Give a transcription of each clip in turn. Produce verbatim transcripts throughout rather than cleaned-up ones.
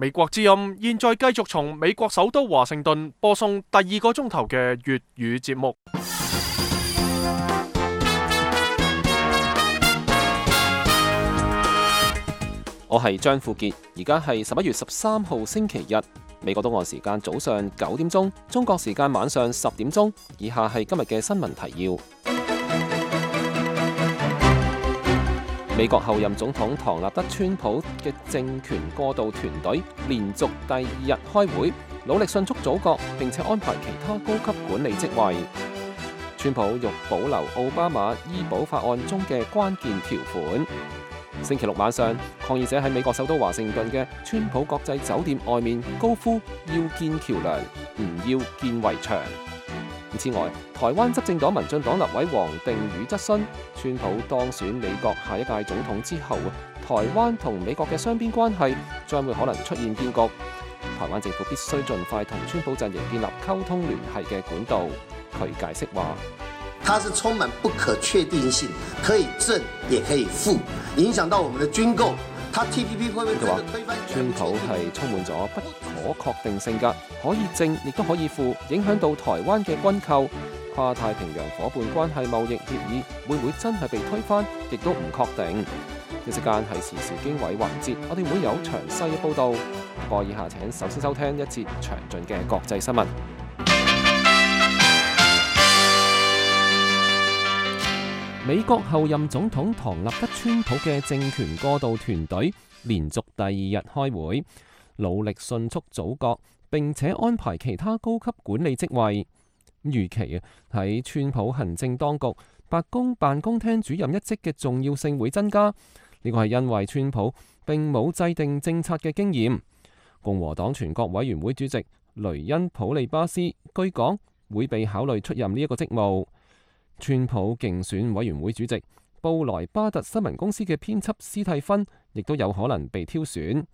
美國之音現在繼續從美國首都華盛頓播送第二個鐘頭嘅粵語節目。我係張富傑，而家係十一月十三號星期日，美國東岸時間早上九點鐘，中國時間晚上十點鐘。以下係今日嘅新聞提要。美國後任總統唐納德·川普嘅政權過渡團隊連續第二日開會，努力迅速組閣，並且安排其他高級管理職位。川普欲保留奧巴馬醫保法案中嘅關鍵條款。星期六晚上，抗議者喺美國首都華盛頓嘅川普國際酒店外面高呼要建橋樑，唔要建圍牆。此外，台灣執政黨民進黨立委黃定宇質詢，川普當選美國下一屆總統之後，台灣同美國嘅雙邊關係將會可能出現變局。台灣政府必須盡快同川普陣營建立溝通聯繫嘅管道。佢解釋話，它是充滿不可確定性，可以正也可以負，影響到我們的軍購。他 T P P 會唔會真的推翻？川普係充滿咗不可確定性㗎，可以正亦都可以負，影響到台灣嘅軍購。跨太平洋夥伴關係貿易協議會唔會真係被推翻，亦都唔確定。呢時間係時事經緯環節，我哋會有詳細嘅報導。不過以下請首先收聽一節詳盡嘅國際新聞。美國後任總統唐納德·川普嘅政權過渡團隊連續第二日開會，努力迅速組閣，並且安排其他高級管理職位。預期啊，喺川普行政當局白宮辦公廳主任一職嘅重要性會增加。呢個係因為川普並冇制定政策嘅經驗。共和黨全國委員會主席雷恩普利巴斯據講會被考慮出任呢一個職務。川普競選委員會主席布萊巴特新聞公司嘅編輯斯蒂芬亦都有可能被挑選。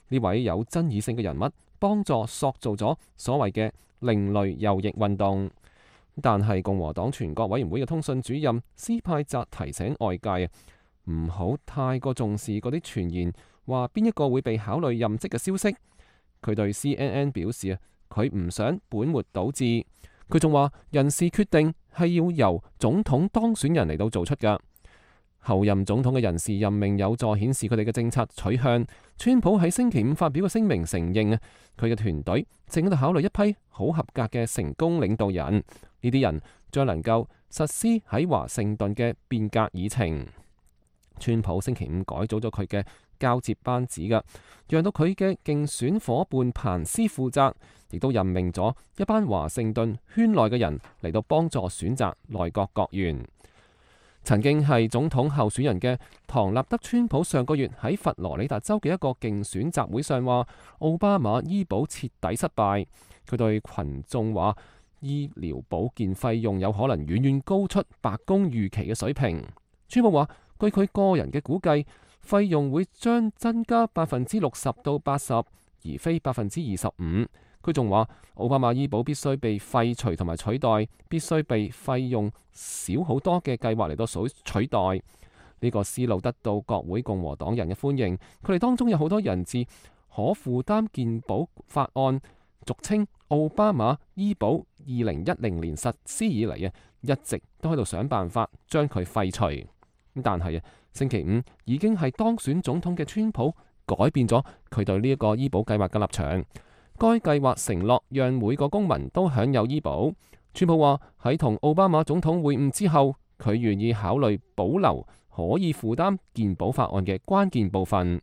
呢位有爭議性嘅人物幫助塑造咗所謂嘅另類右翼運動。但係共和黨全國委員會嘅通訊主任斯派澤提醒外界啊，唔好太過重視嗰啲傳言話邊一個會被考慮任職嘅消息。佢對 C N N 表示啊，佢唔想本末倒置。佢仲話人事決定係要由總統當選人嚟到做出㗎。後任總統嘅人事任命有助顯示佢哋嘅政策取向。川普喺星期五發表嘅聲明承認啊，佢嘅團隊正喺度考慮一批好合格嘅成功領導人，呢啲人將能夠實施喺華盛頓嘅變革議程。川普星期五改組咗佢嘅交接班子㗎，讓到佢嘅競選夥伴彭斯負責，亦都任命咗一班華盛頓圈內嘅人嚟到幫助選擇內閣閣員。曾經係總統候選人嘅唐納德·川普上個月喺佛羅里達州嘅一個競選集會上話，奧巴馬醫保徹底失敗。佢對群眾話，醫療保健費用有可能遠遠高出白宮預期嘅水平。川普話，據佢個人嘅估計，費用會將增加百分之六十到八十，而非百分之二十五。佢仲話，奧巴馬醫保必須被廢除同埋取代，必須被費用少好多嘅計劃嚟到取代。呢、這個思路得到國會共和黨人嘅歡迎，佢哋當中有好多人自可負擔健保法案，俗稱奧巴馬醫保二零一零年實施以嚟啊，一直都喺度想辦法將佢廢除。但係啊，星期五已經係當選總統嘅川普改變咗佢對呢一個醫保計劃嘅立場。該計劃承諾讓每個公民都享有醫保。川普話喺同奧巴馬總統會晤之後，佢願意考慮保留可以負擔健保法案嘅關鍵部分。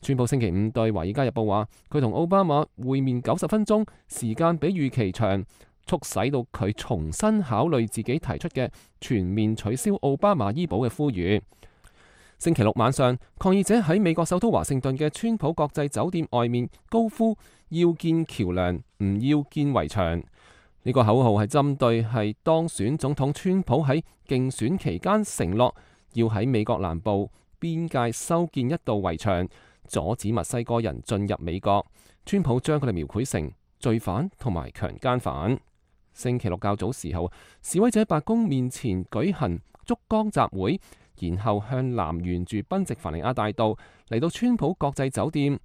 川普星期五對《華爾街日報》話，佢同奧巴馬會面九十分鐘，時間比預期長，促使到佢重新考慮自己提出嘅全面取消奧巴馬醫保嘅呼籲。星期六晚上，抗議者喺美國首都華盛頓嘅川普國際酒店外面高呼要建橋樑，唔要建圍牆。呢個口號係針對係當選總統川普喺競選期間承諾要喺美國南部邊界修建一道圍牆，阻止墨西哥人進入美國。川普將佢哋描繪成罪犯同埋強姦犯。星期六較早時候，示威者喺白宮面前舉行燭光集會，然後向南沿住賓夕凡尼亞大道嚟到川普國際酒店。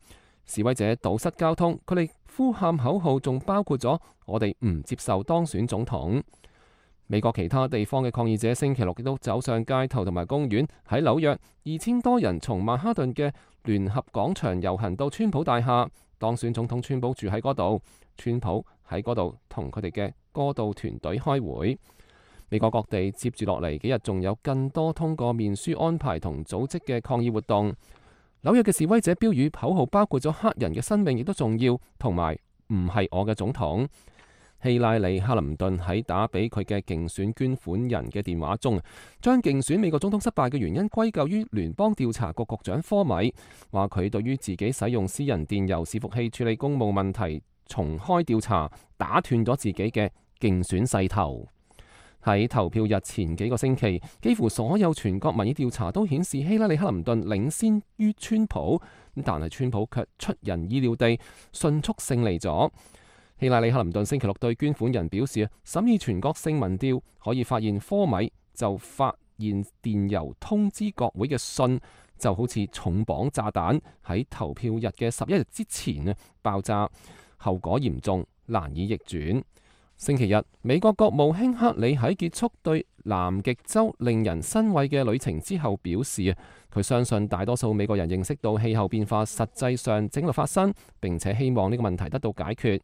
示威者堵塞交通，佢哋呼喊口號仲包括咗我哋唔接受當選總統。美國其他地方嘅抗議者星期六亦都走上街頭同埋公園。喺紐約，二千多人從曼哈頓嘅聯合廣場遊行到川普大廈，當選總統川普住喺嗰度，川普喺嗰度同佢哋嘅過渡團隊開會。美國各地接住落嚟幾日仲有更多通過面書安排同組織嘅抗議活動。紐約嘅示威者標語口號包括咗黑人嘅生命亦都重要，同埋唔係我嘅總統。希拉里·克林頓喺打俾佢嘅競選捐款人嘅電話中，將競選美國總統失敗嘅原因歸咎於聯邦調查局局長科米，話佢對於自己使用私人電郵伺服器處理公務問題重開調查，打斷咗自己嘅競選勢頭。喺投票日前幾個星期，幾乎所有全國民意調查都顯示希拉里·克林頓領先於川普，但係川普卻出人意料地迅速勝利咗。希拉里·克林頓星期六對捐款人表示，審議全國性民調可以發現科米就發現電郵通知國會嘅信就好似重磅炸彈喺投票日嘅十一日之前爆炸，後果嚴重，難以逆轉。星期日，美國國務卿克里喺結束對南極洲令人欣慰嘅旅程之後表示，佢相信大多數美國人認識到氣候變化實際上正在發生，並且希望呢個問題得到解決。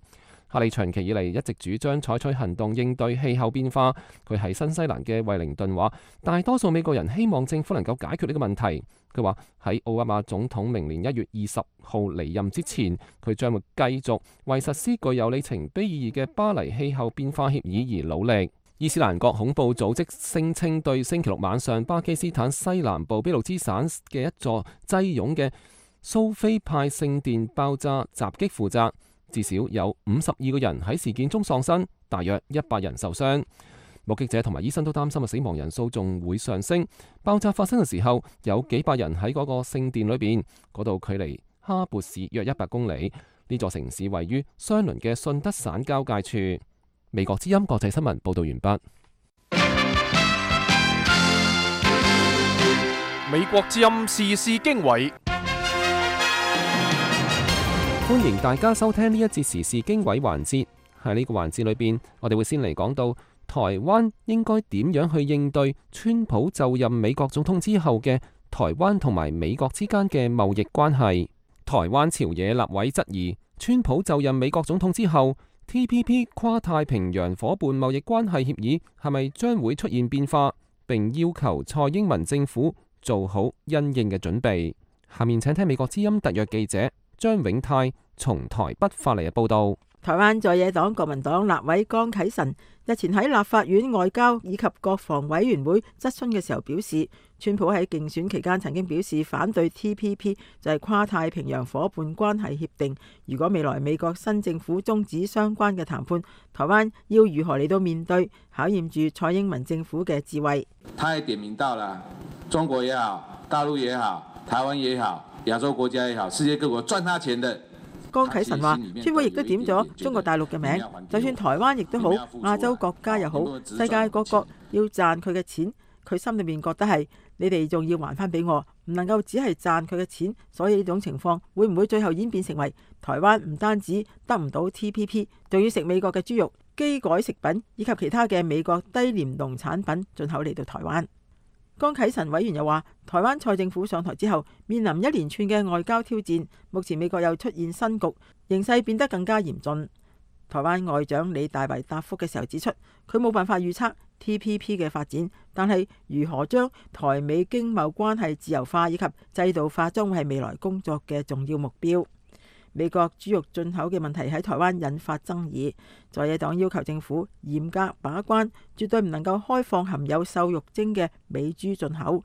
克里長期以嚟一直主張採取行動應對氣候變化。佢喺新西蘭嘅惠靈頓話，大多數美國人希望政府能夠解決呢個問題。佢話喺奧巴馬總統明年一月二十號離任之前，佢將會繼續為實施具有里程碑意義嘅巴黎氣候變化協議而努力。伊斯蘭國恐怖組織聲稱對星期六晚上巴基斯坦西南部俾路支省嘅一座擠擁嘅蘇菲派聖殿爆炸襲擊負責。至少有五十二個人喺事件中喪生，大約一百人受傷。目擊者同埋醫生都擔心嘅死亡人數仲會上升。爆炸發生嘅時候，有幾百人喺嗰個聖殿裏邊，嗰度距離哈勃市約一百公里。呢座城市位於相鄰嘅信德省交界處。美國之音國際新聞報道完畢。美國之音時事經緯。歡迎大家收聽呢一節時事經緯環節。喺呢個環節裏邊，我哋會先嚟講到台灣應該點樣去應對川普就任美國總統之後嘅台灣同埋美國之間嘅貿易關係。台灣朝野立委質疑，川普就任美國總統之後 T P P 跨太平洋夥伴貿易關係協議係咪將會出現變化，並要求蔡英文政府做好因應嘅準備。下面請聽美國之音特約記者張永泰從台北發嚟嘅報道。台灣在野黨國民黨立委江啟臣日前喺立法院外交以及國防委員會質詢嘅時候表示，川普喺競選期間曾經表示反對 T P P， 就係跨太平洋夥伴關係協定。如果未來美國新政府終止相關嘅談判，台灣要如何嚟到面對，考驗住蔡英文政府嘅智慧。他也點名到了中國也好，大陸也好，台灣也好，亞洲國家也好，世界各國賺他錢的。江啟臣話，川普亦都點咗中國大陸嘅名，就算台灣亦都好，亞洲國家又好，世界各國要賺佢嘅錢，佢心裏面覺得係你哋仲要還翻俾我，唔能夠只係賺佢嘅錢。所以呢種情況會唔會最後演變成為台灣唔單止得唔到 T P P， 仲要食美國嘅豬肉、基改食品以及其他嘅美國低廉農產品進口嚟到台灣？江啟臣委員又話，台灣蔡政府上台之後，面臨一連串嘅外交挑戰，目前美國又出現新局，形勢變得更加嚴峻。台灣外長李大維答覆嘅時候指出，佢冇辦法預測 T P P 嘅發展，但係如何將台美經貿關係自由化以及制度化，將會係未來工作嘅重要目標。美國豬肉進口嘅問題喺台灣引發爭議，在野黨要求政府嚴格把關，絕對唔能夠開放含有瘦肉精嘅美豬進口。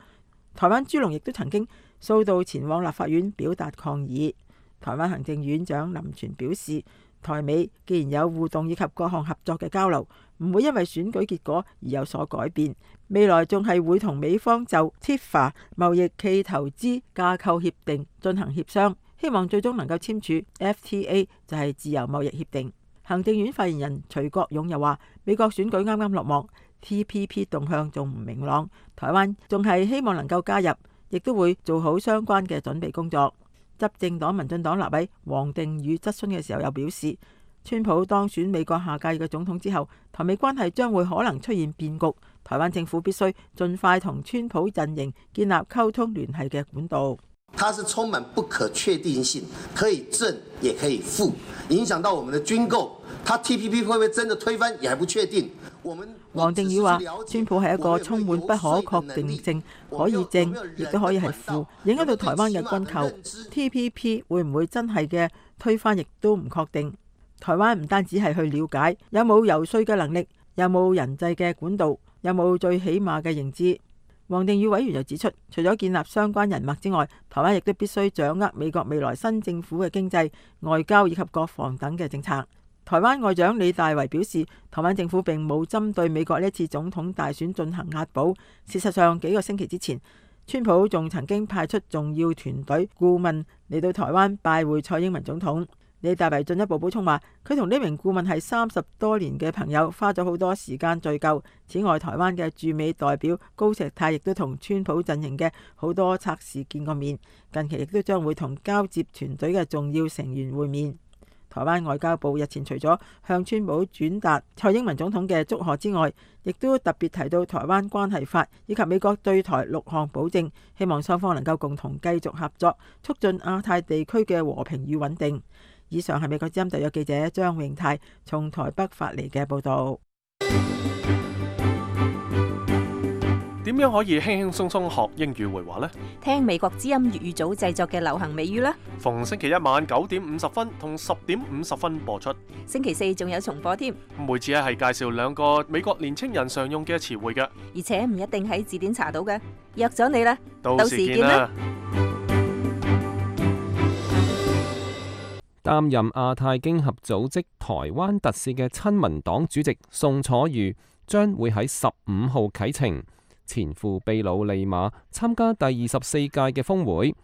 台灣豬農亦都曾經數度前往立法院表達抗議。台灣行政院長林全表示，台美既然有互動以及各項合作嘅交流，唔會因為選舉結果而有所改變，未來仲係會同美方就 T I F A 貿易暨投資架構協定進行協商，希望最終能夠簽署 F T A， 就係自由貿易協定。行政院發言人徐國勇又話，美國選舉啱啱落幕， T P P 動向仲唔明朗，台灣仲係希望能夠加入，亦都會做好相關嘅準備工作。執政黨民進黨立委王定宇質詢嘅時候又表示，川普當選美國下屆嘅總統之後，台美關係將會可能出現變局，台灣政府必須盡快同川普陣營建立溝通聯繫嘅管道。它是充滿不可確定性，可以正也可以負，影響到我們的軍購。它 T P P 會不會真的推翻，也還不確定。我們王定宇話，川普係一個充滿不可確定性，可以正亦都可以係負，影響到台灣嘅軍購。T P P 會唔會真係嘅推翻，亦都唔確定。台灣唔單止係去了解有冇游說嘅能力，有冇人際嘅管道，有冇最起碼嘅認知。王定宇委員又指出，除咗建立相關人脈之外，台灣亦都必須掌握美國未來新政府嘅經濟、外交以及國防等嘅政策。台灣外長李大維表示，台灣政府並冇針對美國呢次總統大選進行押寶。事實上，幾個星期之前，川普仲曾經派出重要團隊顧問嚟到台灣拜會蔡英文總統。李大維進一步補充話，佢同呢名顧問係三十多年嘅朋友，花咗好多時間聚舊。此外，台灣嘅駐美代表高石泰亦都同川普陣營嘅好多策士見過面，近期亦都將會同交接團隊嘅重要成員會面。台灣外交部日前除咗向川普轉達蔡英文總統嘅祝賀之外，亦都特別提到台灣關係法以及美國對台六項保證，希望雙方能夠共同繼續合作，促進亞太地區嘅和平與穩定。以上係美國之音特約記者張永泰從台北發嚟嘅報道。點樣可以輕輕鬆鬆學英語會話呢？聽美國之音粵語組製作嘅流行美語啦。逢星期一晚九點五十分同十點五十分播出。星期四仲有重播添。每次咧係介紹兩個美國年青人常用嘅詞彙嘅，而且唔一定喺字典查到嘅。約咗你啦，到時見啦。擔任亞太經合組織台灣特使嘅親民黨主席宋楚瑜將會喺十五號啟程前赴秘魯利馬參加第二十四屆嘅峰會。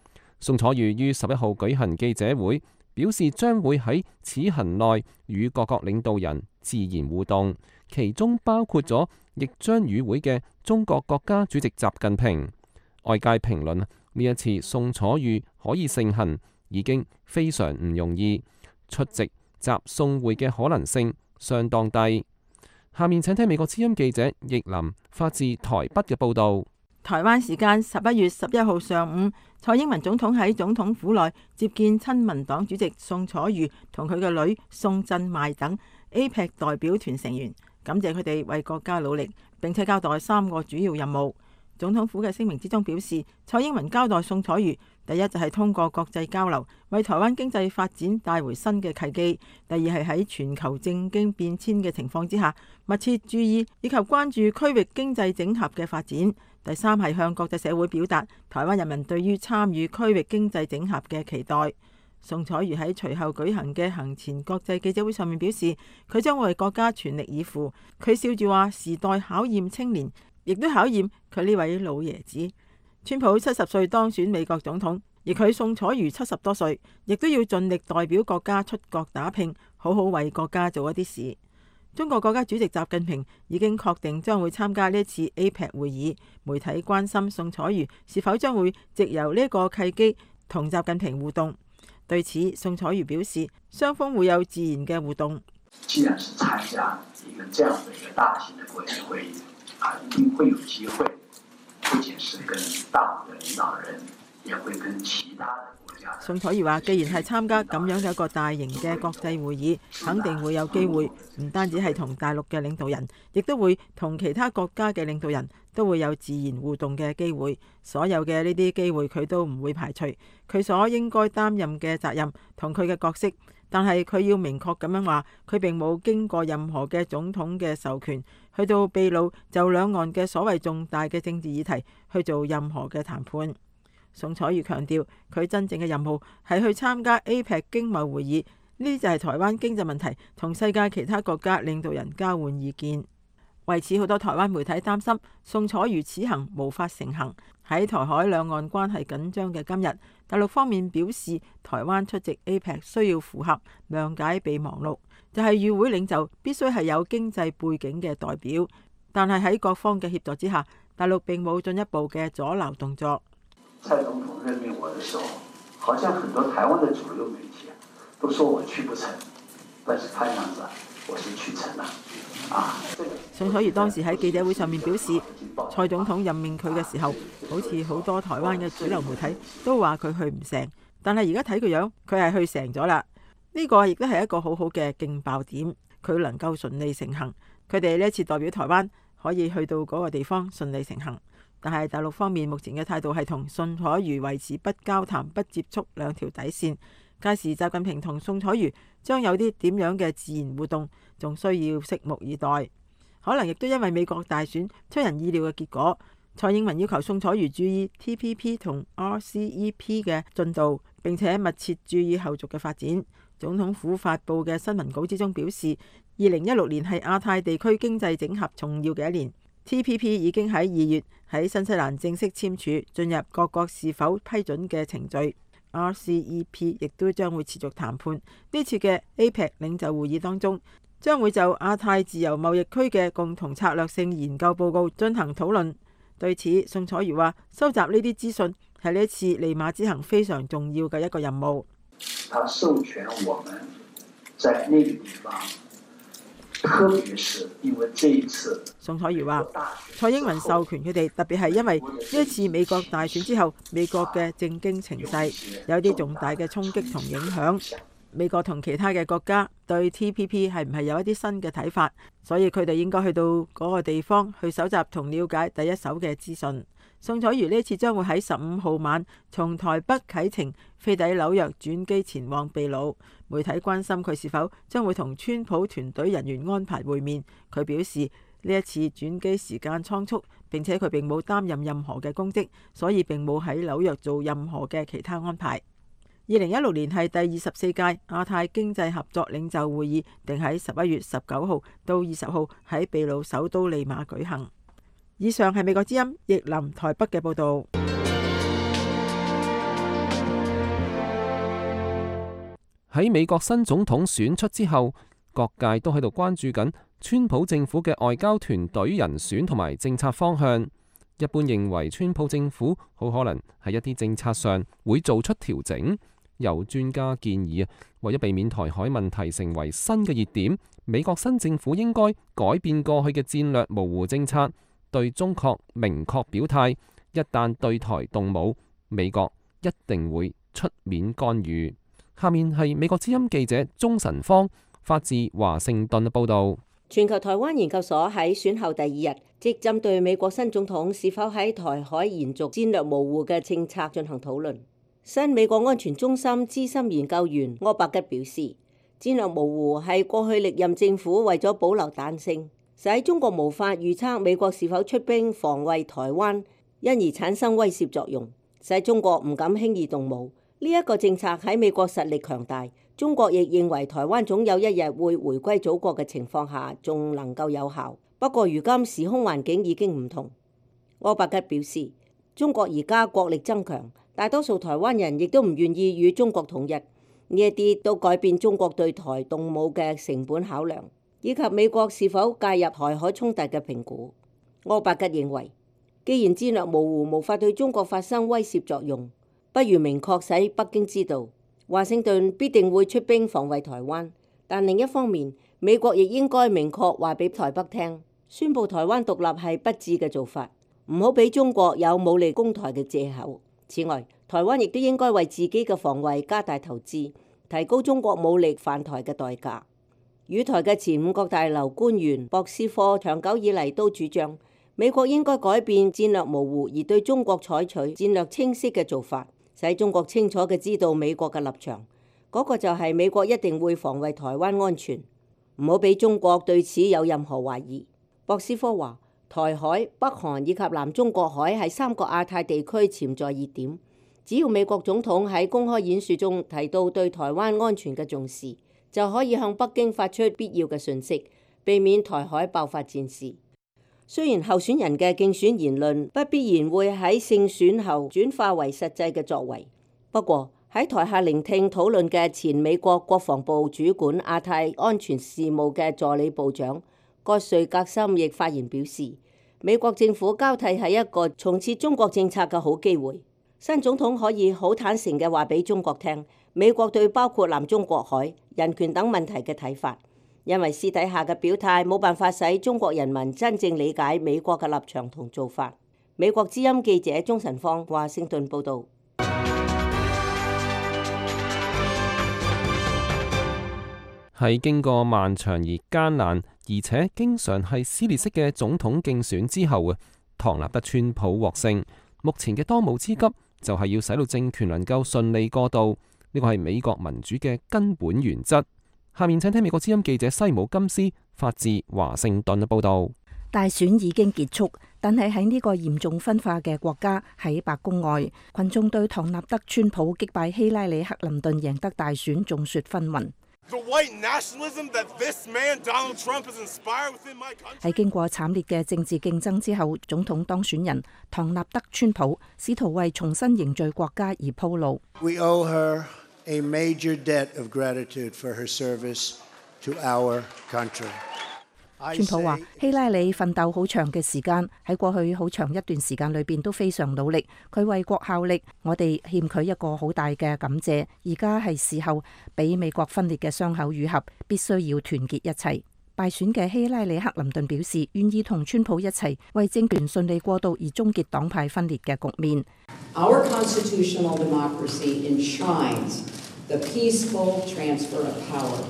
宋楚瑜於十一號舉行記者會，表示將會喺此行內與各國領導人自然互動，其中包括咗亦將與會嘅中國國家主席習近平。外界評論呢一次宋楚瑜可以盛行，已經非常唔容易，出席習宋會嘅可能性相當低。下面請聽美國之音記者易林發自台北嘅報導。台灣時間十一月十一號上午，蔡英文總統喺總統府內接見親民黨主席宋楚瑜同佢嘅女宋振邁等 A P E C 代表團成員，感謝佢哋為國家努力，並且交代三個主要任務。總統府嘅聲明之中表示，蔡英文交代宋楚瑜，第一就係通過國際交流，為台灣經濟發展帶回新嘅契機；第二係喺全球政經變遷嘅情況之下，密切注意以及關注區域經濟整合嘅發展；第三係向國際社會表達台灣人民對於參與區域經濟整合嘅期待。宋楚瑜喺隨後舉行嘅行前國際記者會上面表示，佢將為國家全力以赴。佢笑住話：時代考驗青年，亦都考驗佢呢位老爺子。川普七十歲當選美國總統，而佢宋楚瑜七十多歲，亦都要盡力代表國家出國打拼，好好為國家做一啲事。中國國家主席習近平已經確定將會參加呢次 A P E C 會議。媒體關心宋楚瑜是否將會藉由呢個契機同習近平互動。對此，宋楚瑜表示，雙方會有自然嘅互動。既然是參加一個這樣的一個大型的國際會議，啊，一定會有機會，不僅是跟大陸的領導人，也會跟其他的國家。宋楚瑜話，既然係參加咁樣嘅一個大型嘅國際會議，肯定會有機會，唔單止係同大陸嘅領導人，亦都會同其他國家嘅領導人都會有自然互動嘅機會。所有嘅呢啲機會，佢都唔會排除。佢所應該擔任嘅責任同佢嘅角色。但係佢要明確咁樣話，佢並冇經過任何嘅總統嘅授權，去到秘魯就兩岸嘅所謂重大嘅政治議題去做任何嘅談判。宋楚瑜強調，佢真正嘅任務係去參加 A P E C 經貿會議，呢就係台灣經濟問題同世界其他國家領導人交換意見。為此，好多台灣媒體擔心宋楚瑜此行無法成行。喺台海兩岸關係緊張嘅今日，大陸方面表示，台灣出席 A P E C 需要符合諒解備忘錄，就係與會領袖必須係有經濟背景嘅代表。但係喺各方嘅協助之下，大陸並冇進一步嘅阻撓動作。蔡總統任命我的時候，好像很多台灣的主流媒體都說我去不成，但是看樣子我是去成了啊。宋楚瑜當時喺記者會上面表示，蔡總統任命佢嘅時候，好似好多台灣嘅主流媒體都話佢去唔成，但係而家睇佢樣，佢係去成咗啦。呢個亦都係一個好好嘅勁爆點，佢能夠順利成行。佢哋呢一次代表台灣可以去到嗰個地方順利成行，但係大陸方面目前嘅態度係同宋楚瑜維持不交談、不接觸兩條底線。屆時習近平同宋楚瑜將有啲點樣嘅自然互動，仲需要拭目以待。可能亦都因為美國大選出人意料嘅結果，蔡英文要求宋楚瑜注意 T P P 同 R C E P 嘅進度，並且密切注意後續嘅發展。總統府發布嘅新聞稿之中表示，二零一六年係亞太地區經濟整合重要嘅一年。T P P 已經喺二月喺新西蘭正式簽署，進入各國是否批准嘅程序。R C E P 亦都將會持續談判。呢次嘅 A P E C 領袖會議當中，將會就亞太自由貿易區嘅共同策略性研究報告進行討論。對此，宋楚瑜話：收集呢啲資訊係呢一次利馬之行非常重要嘅一個任務。他授權我們在那個地方，特別是因為這一次，宋楚瑜話：蔡英文授權佢哋，特別係因為呢一次美國大選之後，美國嘅政經情勢有啲重大嘅衝擊同影響。美國同其他嘅國家對 T P P 係唔係有一啲新嘅睇法，所以佢哋應該去到嗰個地方去搜集同了解第一手嘅資訊。宋楚瑜呢次將會喺十五號晚從台北啟程飛抵紐約轉機前往秘魯。媒體關心佢是否將會同川普團隊人員安排會面，佢表示呢一次轉機時間倉促，並且佢並冇擔任任何嘅公職，所以並冇喺紐約做任何嘅其他安排。二零一六年係第二十四屆亞太經濟合作領袖會議，定喺十一月十九號到二十號喺秘魯首都利馬舉行。以上係美國之音譯林台北嘅報導。喺美國新總統選出之後，各界都喺度關注緊川普政府嘅外交團隊人選同埋政策方向。一般認為，川普政府好可能喺一啲政策上會做出調整。有專家建議啊，為咗避免台海問題成為新嘅熱點，美國新政府應該改變過去嘅戰略模糊政策，對中國明確表態，一旦對台動武，美國一定會出面干預。下面係美國之音記者鍾晨芳發自華盛頓嘅報導。全球台灣研究所喺選後第二日，即針對美國新總統是否喺台海延續戰略模糊嘅政策進行討論。新美國安全中心資深研究員柯伯吉表示，戰略模糊係過去歷任政府為咗保留彈性，使中國無法預測美國是否出兵防衛台灣，因而產生威懾作用，使中國唔敢輕易動武。呢、這、一個政策喺美國實力強大，中國亦認為台灣總有一日會回歸祖國嘅情況下，仲能夠有效。不過如今時空環境已經唔同。柯伯吉表示，中國而家國力增強，大多數台灣人亦都唔願意與中國統一，呢一啲都改變中國對台動武嘅成本考量，以及美國是否介入台海衝突嘅評估。柯伯吉認為，既然戰略模糊無法對中國發生威懾作用，不如明確使北京知道，華盛頓必定會出兵防衛台灣。但另一方面，美國亦應該明確話俾台北聽，宣布台灣獨立係不智嘅做法，唔好俾中國有武力攻台嘅藉口。此外，台灣亦都應該為自己嘅防衛加大投資，提高中國武力犯台嘅代價。與台嘅前五角大樓官員博斯科長久以嚟都主張，美國應該改變戰略模糊而對中國採取戰略清晰嘅做法，使中國清楚嘅知道美國嘅立場。嗰、那個就係美國一定會防衛台灣安全，唔好俾中國對此有任何懷疑。博斯科話，台海、北韓以及南中國海係三個亞太地區潛在熱點，只要美國總統喺公開演說中提到對台灣安全嘅重視，就可以向北京發出必要嘅訊息，避免台海爆發戰事。雖然候選人嘅競選言論不必然會喺勝選後轉化為實際嘅作為，不過喺台下聆聽討論嘅前美國國防部主管亞太安全事務嘅助理部長葛瑞格森亦發言表示，美國政府交替係一個重設中國政策嘅好機會。新總統可以好坦誠嘅話俾中國聽，美國對包括南中國海、人權等問題嘅睇法，因為私底下嘅表態冇辦法使中國人民真正理解美國嘅立場同做法。美國之音記者鍾晨芳華盛頓報導。喺經過漫長而艱難，而且經常係撕裂式嘅總統競選之後啊，唐納德川普獲勝。目前嘅當務之急就係要使到政權能夠順利過渡，呢個係美國民主嘅根本原則。下面請聽美國之音記者西姆金斯發自華盛頓嘅報導。大選已經結束，但係喺呢個嚴重分化嘅國家，喺白宮外，群眾對唐納德川普擊敗希拉里克林頓贏得大選眾說紛紜。喺經過慘烈嘅政治競爭之後，總統當選人唐納德川普試圖為重新凝聚國家而鋪路。We owe her a major debt of gratitude for her service to our country. 川普話：希拉里奮鬥好長嘅時間，喺過去好長一段時間裏邊都非常努力，佢為國效力，我哋欠佢一個好大嘅感謝。而家係時候俾美國分裂嘅傷口愈合，必須要團結一齊。敗選嘅希拉里克林頓表示願意同川普一齊為政權順利過渡而終結黨派分裂嘅局面。Our constitutional democracy enshrines the peaceful transfer of power.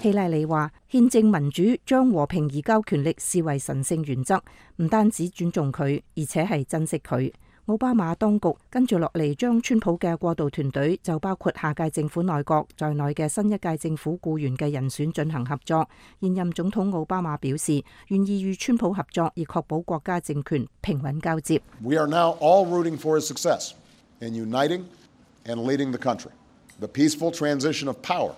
希拉里話：憲政民主將和平移交權力視為神聖原則，唔單止尊重佢，而且係珍惜佢。奧巴馬當局跟住落嚟將川普嘅過渡團隊，就包括下屆政府內閣在內嘅新一屆政府僱員嘅人選進行合作。現任總統奧巴馬表示願意與川普合作，以確保國家政權平穩交接。We are now all rooting for his success in uniting and leading the country. The peaceful transition of power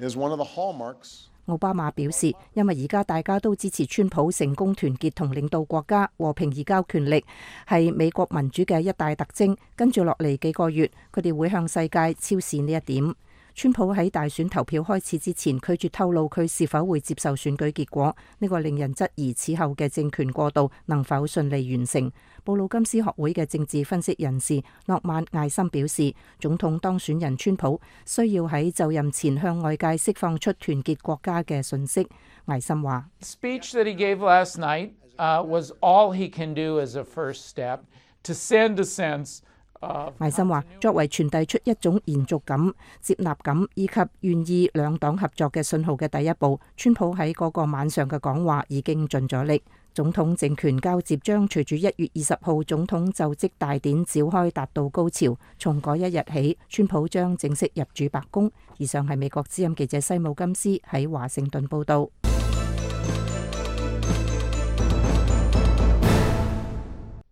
is one of the hallmarks. 奧巴馬表示，因為而家大家都支持川普成功團結同領導國家，和平移交權力係美國民主嘅一大特徵。跟住落嚟幾個月，佢哋會向世界昭示呢一點。川普喺大選投票開始之前拒絕透露佢是否會接受選舉結果，呢個令人質疑此後嘅政權過渡能否順利完成。布魯金斯學會嘅政治分析人士諾曼艾森表示，總統當選人川普需要喺就任前向外界釋放出團結國家嘅訊息。艾森話：Speech that he gave last night was all he can do as a first step to send a sense。艾森話：作為傳遞出一種延續感、接納感以及願意兩黨合作嘅信號嘅第一步，川普喺嗰個晚上嘅講話已經盡咗力。總統政權交接將隨住一月二十號總統就職大典召開達到高潮，從嗰一日起，川普將正式入主白宮。以上係美國之音記者西姆金斯喺華盛頓報道。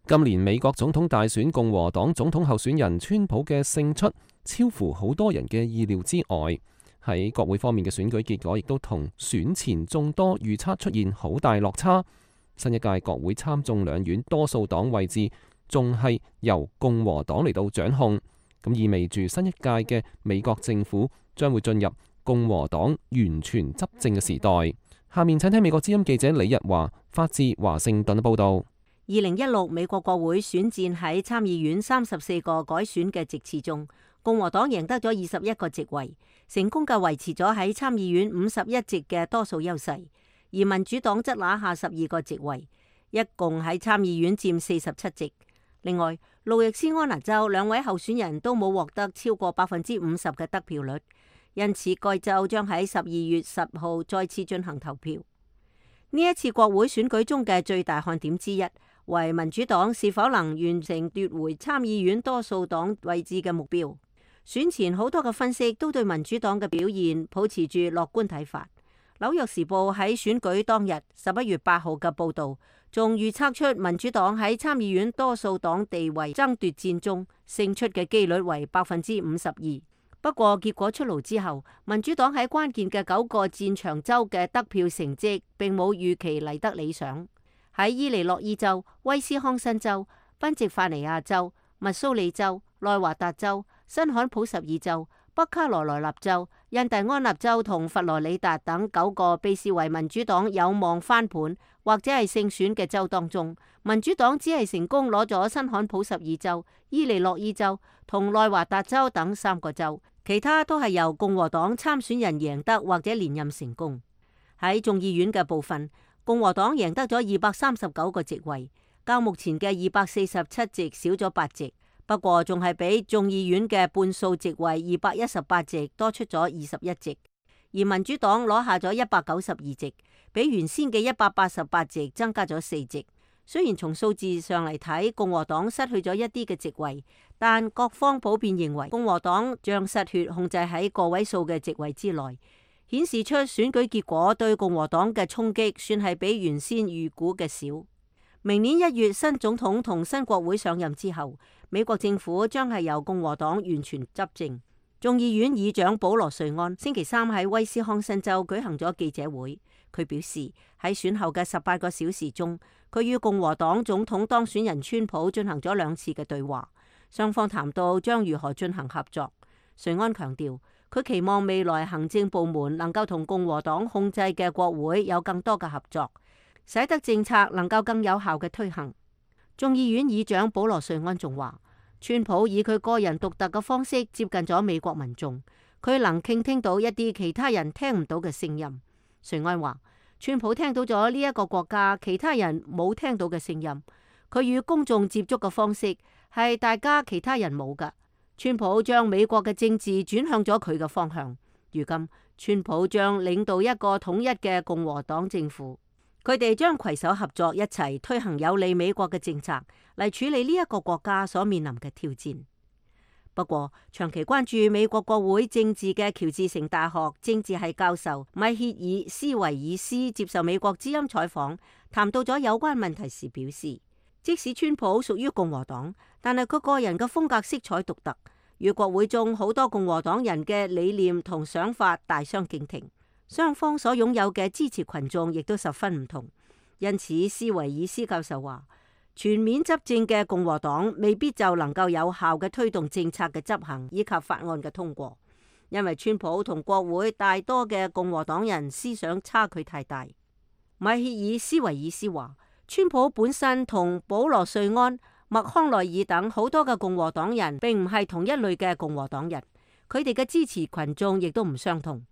今年美國總統大選，共和黨總統候選人川普嘅勝出超乎好多人嘅意料之外。喺國會方面嘅選舉結果亦都同選前眾多預測出現好大落差。新一屆國會參眾兩院多數黨位置仲係由共和黨嚟到掌控，咁意味住新一屆嘅美國政府將會進入共和黨完全執政嘅時代。下面請聽美國之音記者李日華發自華盛頓嘅報道。二零一六美國國會選戰喺參議院三十四個改選嘅席次中，共和黨贏得咗二十一個席位，成功嘅維持咗喺參議院五十一席嘅多數優勢。而民主黨則拿下十二個席位，一共喺參議院佔四十七席。另外，路易斯安那州兩位候選人都冇獲得超過百分之五十嘅得票率，因此該州將喺十二月十號再次進行投票。呢一次國會選舉中嘅最大看點之一，為民主黨是否能完成奪回參議院多數黨位置嘅目標。選前好多嘅分析都對民主黨嘅表現抱持住樂觀睇法。紐約時報喺選舉當日十一月八號嘅報導，仲預測出民主黨喺參議院多數黨地位爭奪戰中勝出嘅機率為百分之五十二。不過結果出爐之後，民主黨喺關鍵嘅九個戰場州嘅得票成績並冇預期嚟得理想。喺伊利諾伊州、威斯康辛州、賓夕法尼亞州、密蘇里州、內華達州、新罕普什爾州、北卡羅來納州、印第安納州同佛羅里達等九個被視為民主黨有望翻盤或者係勝選嘅州當中，民主黨只係成功攞咗新罕普什爾州、伊利諾伊州同內華達州等三個州，其他都係由共和黨參選人贏得或者連任成功。喺眾議院嘅部分，共和黨贏得咗二百三十九個席位，較目前嘅二百四十七席少咗八席。不過仲係比眾議院嘅半數席位二百一十八席多出咗二十一席，而民主黨攞下咗一百九十二席，比原先嘅一百八十八席增加咗四席。雖然從數字上嚟睇，共和黨失去咗一啲嘅席位，但各方普遍認為共和黨將失血控制喺個位數嘅席位之內，顯示出選舉結果對共和黨嘅衝擊算係比原先預估嘅少。明年一月新總統同新國會上任之後，美國政府將係由共和黨完全執政。眾議院議長保羅瑞安星期三喺威斯康辛州舉行咗記者會，佢表示喺選後嘅十八個小時中，佢與共和黨總統當選人川普進行咗兩次嘅對話，雙方談到將如何進行合作。瑞安強調，佢期望未來行政部門能夠同共和黨控制嘅國會有更多嘅合作，使得政策能夠更有效嘅推行。眾議院議長保羅瑞安仲話，川普以佢個人獨特嘅方式接近咗美國民眾，佢能傾聽到一啲其他人聽唔到嘅聲音。瑞安話，川普聽到咗呢一個國家其他人冇聽到嘅聲音，佢與公眾接觸嘅方式係大家其他人冇㗎。川普將美國嘅政治轉向咗佢嘅方向，如今川普將領導一個統一嘅共和黨政府。佢哋將攜手合作，一齊推行有利美國嘅政策，嚟處理呢一個國家所面臨嘅挑戰。不過，長期關注美國國會政治嘅喬治城大學政治系教授米歇爾斯維爾斯接受美國之音採訪，談到咗有關問題時表示，即使川普屬於共和黨，但係佢個人嘅風格色彩獨特，與國會中好多共和黨人嘅理念同想法大相徑庭。雙方所擁有嘅支持群眾亦都十分唔同，因此斯維爾斯教授話，全面執政嘅共和黨未必就能夠有效嘅推動政策嘅執行以及法案嘅通過，因為川普同國會大多嘅共和黨人思想差距太大。米歇爾斯維爾斯話，川普本身同保羅瑞安、麥康奈爾等好多嘅共和黨人並唔係同一類嘅共和黨人，佢哋嘅支持群眾亦都唔相同。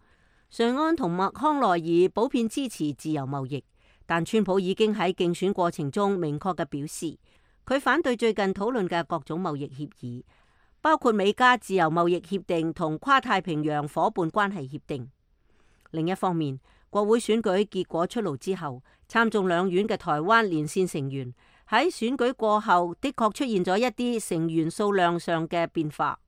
瑞安同麥康奈爾普遍支持自由貿易，但川普已經喺競選過程中明確嘅表示，佢反對最近討論嘅各種貿易協議，包括美加自由貿易協定同跨太平洋夥伴關係協定。另一方面，國會選舉結果出爐之後，參眾兩院嘅台灣連線成員喺選舉過後的確出現咗一啲成員數量上嘅變化。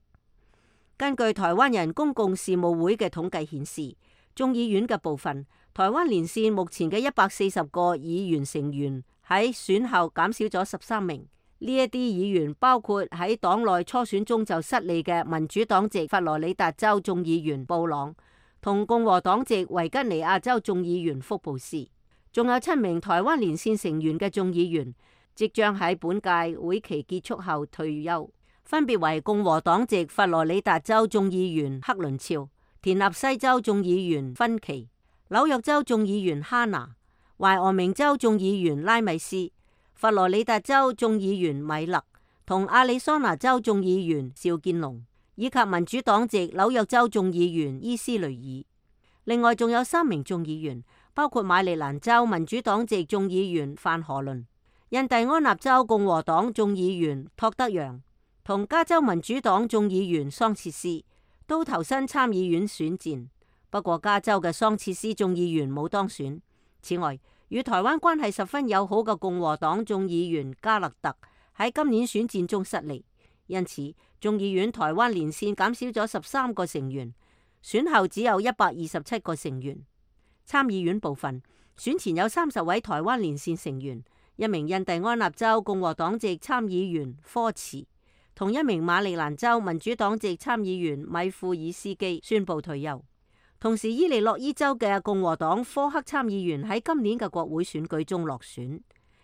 根據台灣人公共事務會嘅統計顯示，眾議院嘅部分，台灣連線目前嘅一百四十個議員成員喺選後減少咗十三名。呢一啲議員包括喺黨內初選中就失利嘅民主黨籍佛羅里達州眾議員布朗，同共和黨籍維吉尼亞州眾議員福布斯，仲有七名台灣連線成員嘅眾議員即將喺本屆會期結束後退休，分別為共和黨籍佛羅里達州眾議員克倫肖、田納西州眾議員芬奇、紐約州眾議員哈拿、懷俄明州眾議員拉米斯、佛羅里達州眾議員米勒同亞利桑那州眾議員邵建龍，以及民主黨籍紐約州眾議員伊斯雷爾。另外仲有三名眾議員，包括馬里蘭州民主黨籍眾議員范荷倫、印第安納州共和黨眾議員托德揚同加州民主黨眾議員桑切斯，都投身參議院選戰。不過加州嘅桑切斯眾議員冇當選。此外，與台灣關係十分友好嘅共和黨眾議員加勒特喺今年選戰中失利，因此眾議院台灣連線減少咗十三個成員，選後只有一百二十七個成員。參議院部分，選前有三十位台灣連線成員，一名印第安納州共和黨籍參議員科茨同一名馬里蘭州民主黨籍參議員米庫爾斯基宣布退休。同時，伊利諾伊州嘅共和黨科克參議員喺今年嘅國會選舉中落選，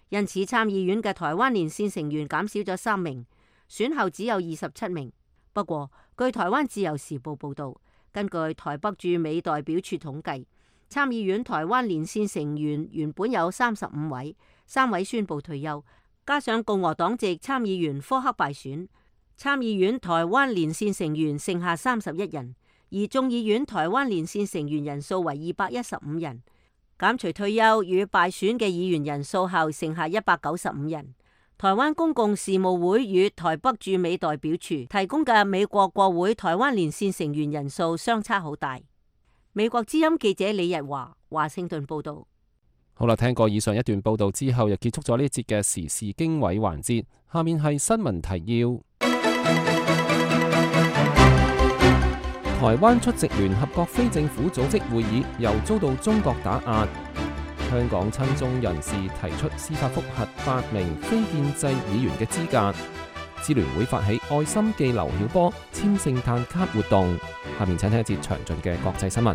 因此參議院嘅台灣連線成員減少咗三名，選後只有二十七名。不過，據台灣自由時報報道，根據台北駐美代表處統計，參議院台灣連線成員原本有三十五位，三位宣布退休，加上共和黨籍參議員科克敗選，參議院台灣連線成員剩下三十一人，而眾議院台灣連線成員人數為二百一十五人。減除退休與敗選嘅議員人數後，剩下一百九十五人。台灣公共事務會與台北駐美代表處提供嘅美國國會台灣連線成員人數相差好大。美國之音記者李日華華盛頓報道。好啦，聽過以上一段報道之後，又結束咗呢一節嘅時事經緯環節。下面係新聞提要。台灣出席聯合國非政府組織會議，又遭到中國打壓。香港親中人士提出司法覆核八名非建制議員嘅資格。支聯會發起愛心寄劉曉波簽聖誕卡活動。下面請聽一節詳盡嘅國際新聞。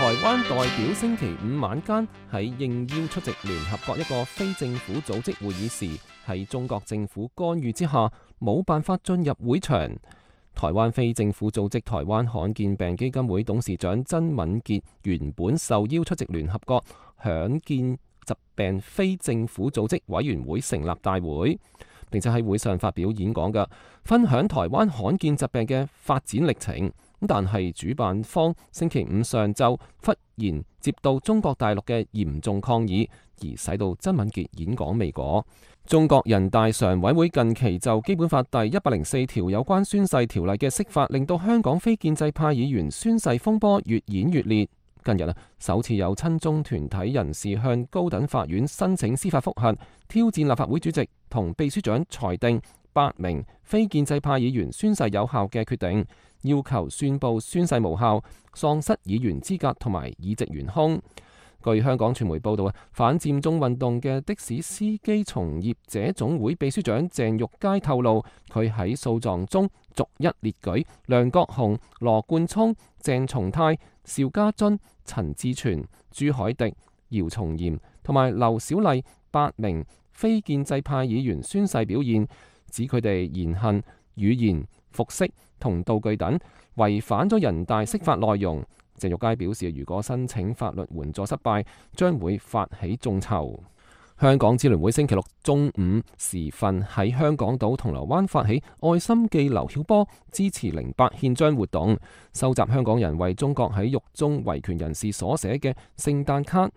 台灣代表星期五晚間喺應邀出席聯合國一個非政府組織會議時，喺中國政府干預之下，冇辦法進入會場。台灣非政府組織台灣罕見病基金會董事長曾敏傑原本受邀出席聯合國罕見疾病非政府組織委員會成立大會，並且喺會上發表演講嘅，分享台灣罕見疾病嘅發展歷程。但係主辦方星期五上晝忽然接到中國大陸嘅嚴重抗議，而使到曾敏傑演講未果。中國人大常委會近期就基本法第一百零四條有關宣誓條例嘅釋法，令到香港非建制派議員宣誓風波越演越烈。近日啊，首次有親中團體人士向高等法院申請司法覆核，挑戰立法會主席同秘書長裁定八名非建制派議員宣誓有效嘅決定，要求宣布宣誓無效，喪失議員資格同埋議席懸空。據香港傳媒報道啊，反佔中運動嘅的，的士司機從業者總會秘書長鄭玉佳透露，佢喺訴狀中逐一列舉梁國雄、羅冠聰、鄭松泰、邵家臻、陳志全、朱凱迪、姚松炎同埋劉小麗八名非建制派議員宣誓表現，指佢哋言行、語言、服飾同道具等違反咗人大釋法內容。鄭玉佳表示，如果申請法律援助失敗，將會發起眾籌。香港支聯會星期六中午時分喺香港島銅鑼灣發起愛心寄劉曉波支持零八憲章活動，收集香港人為中國喺獄中維權人士所寫嘅聖誕卡。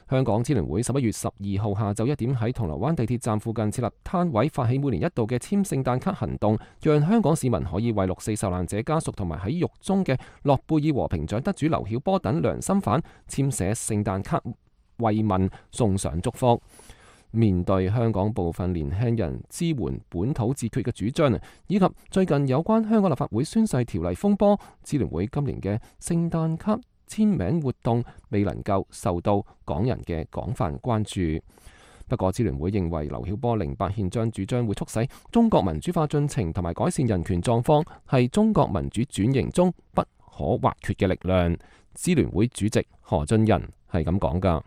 香港支聯會十一月十二號下晝一點喺銅鑼灣地鐵站附近設立攤位，發起每年一度嘅簽聖誕卡行動，讓香港市民可以為六四受難者家屬同埋喺獄中嘅諾貝爾和平獎得主劉曉波等良心犯簽寫聖誕卡慰問，送上祝福。面對香港部分年輕人支援本土自決嘅主張，以及最近有關香港立法會宣誓條例風波，支聯會今年嘅聖誕卡簽名活動未能夠受到港人嘅廣泛關注。不過，支聯會認為劉曉波零八憲章主張會促使中國民主化進程同埋改善人權狀況，係中國民主轉型中不可或缺嘅力量。支聯會主席何俊仁係咁講㗎。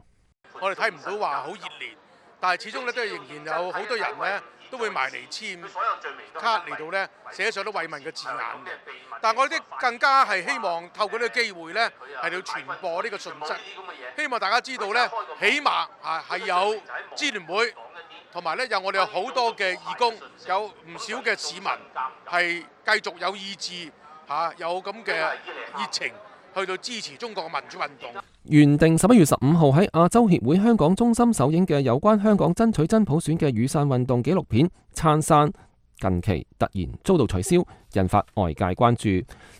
我哋睇唔到話好熱烈，但係始終咧都係仍然有好多人咧都會埋嚟簽卡嚟到咧寫上啲慰問嘅字眼嘅。但係我哋更加係希望透過呢個機會咧係要傳播呢個訊息，希望大家知道咧，起碼啊係有支聯會，同埋咧有我哋有好多嘅義工，有唔少嘅市民係繼續有意志嚇有咁嘅熱情去到支持中國嘅民主運動。原定十一月十五號喺亞洲協會香港中心首映嘅有關香港爭取真普選嘅雨傘運動紀錄片《燦傘》，近期突然遭到取消，引發外界關注。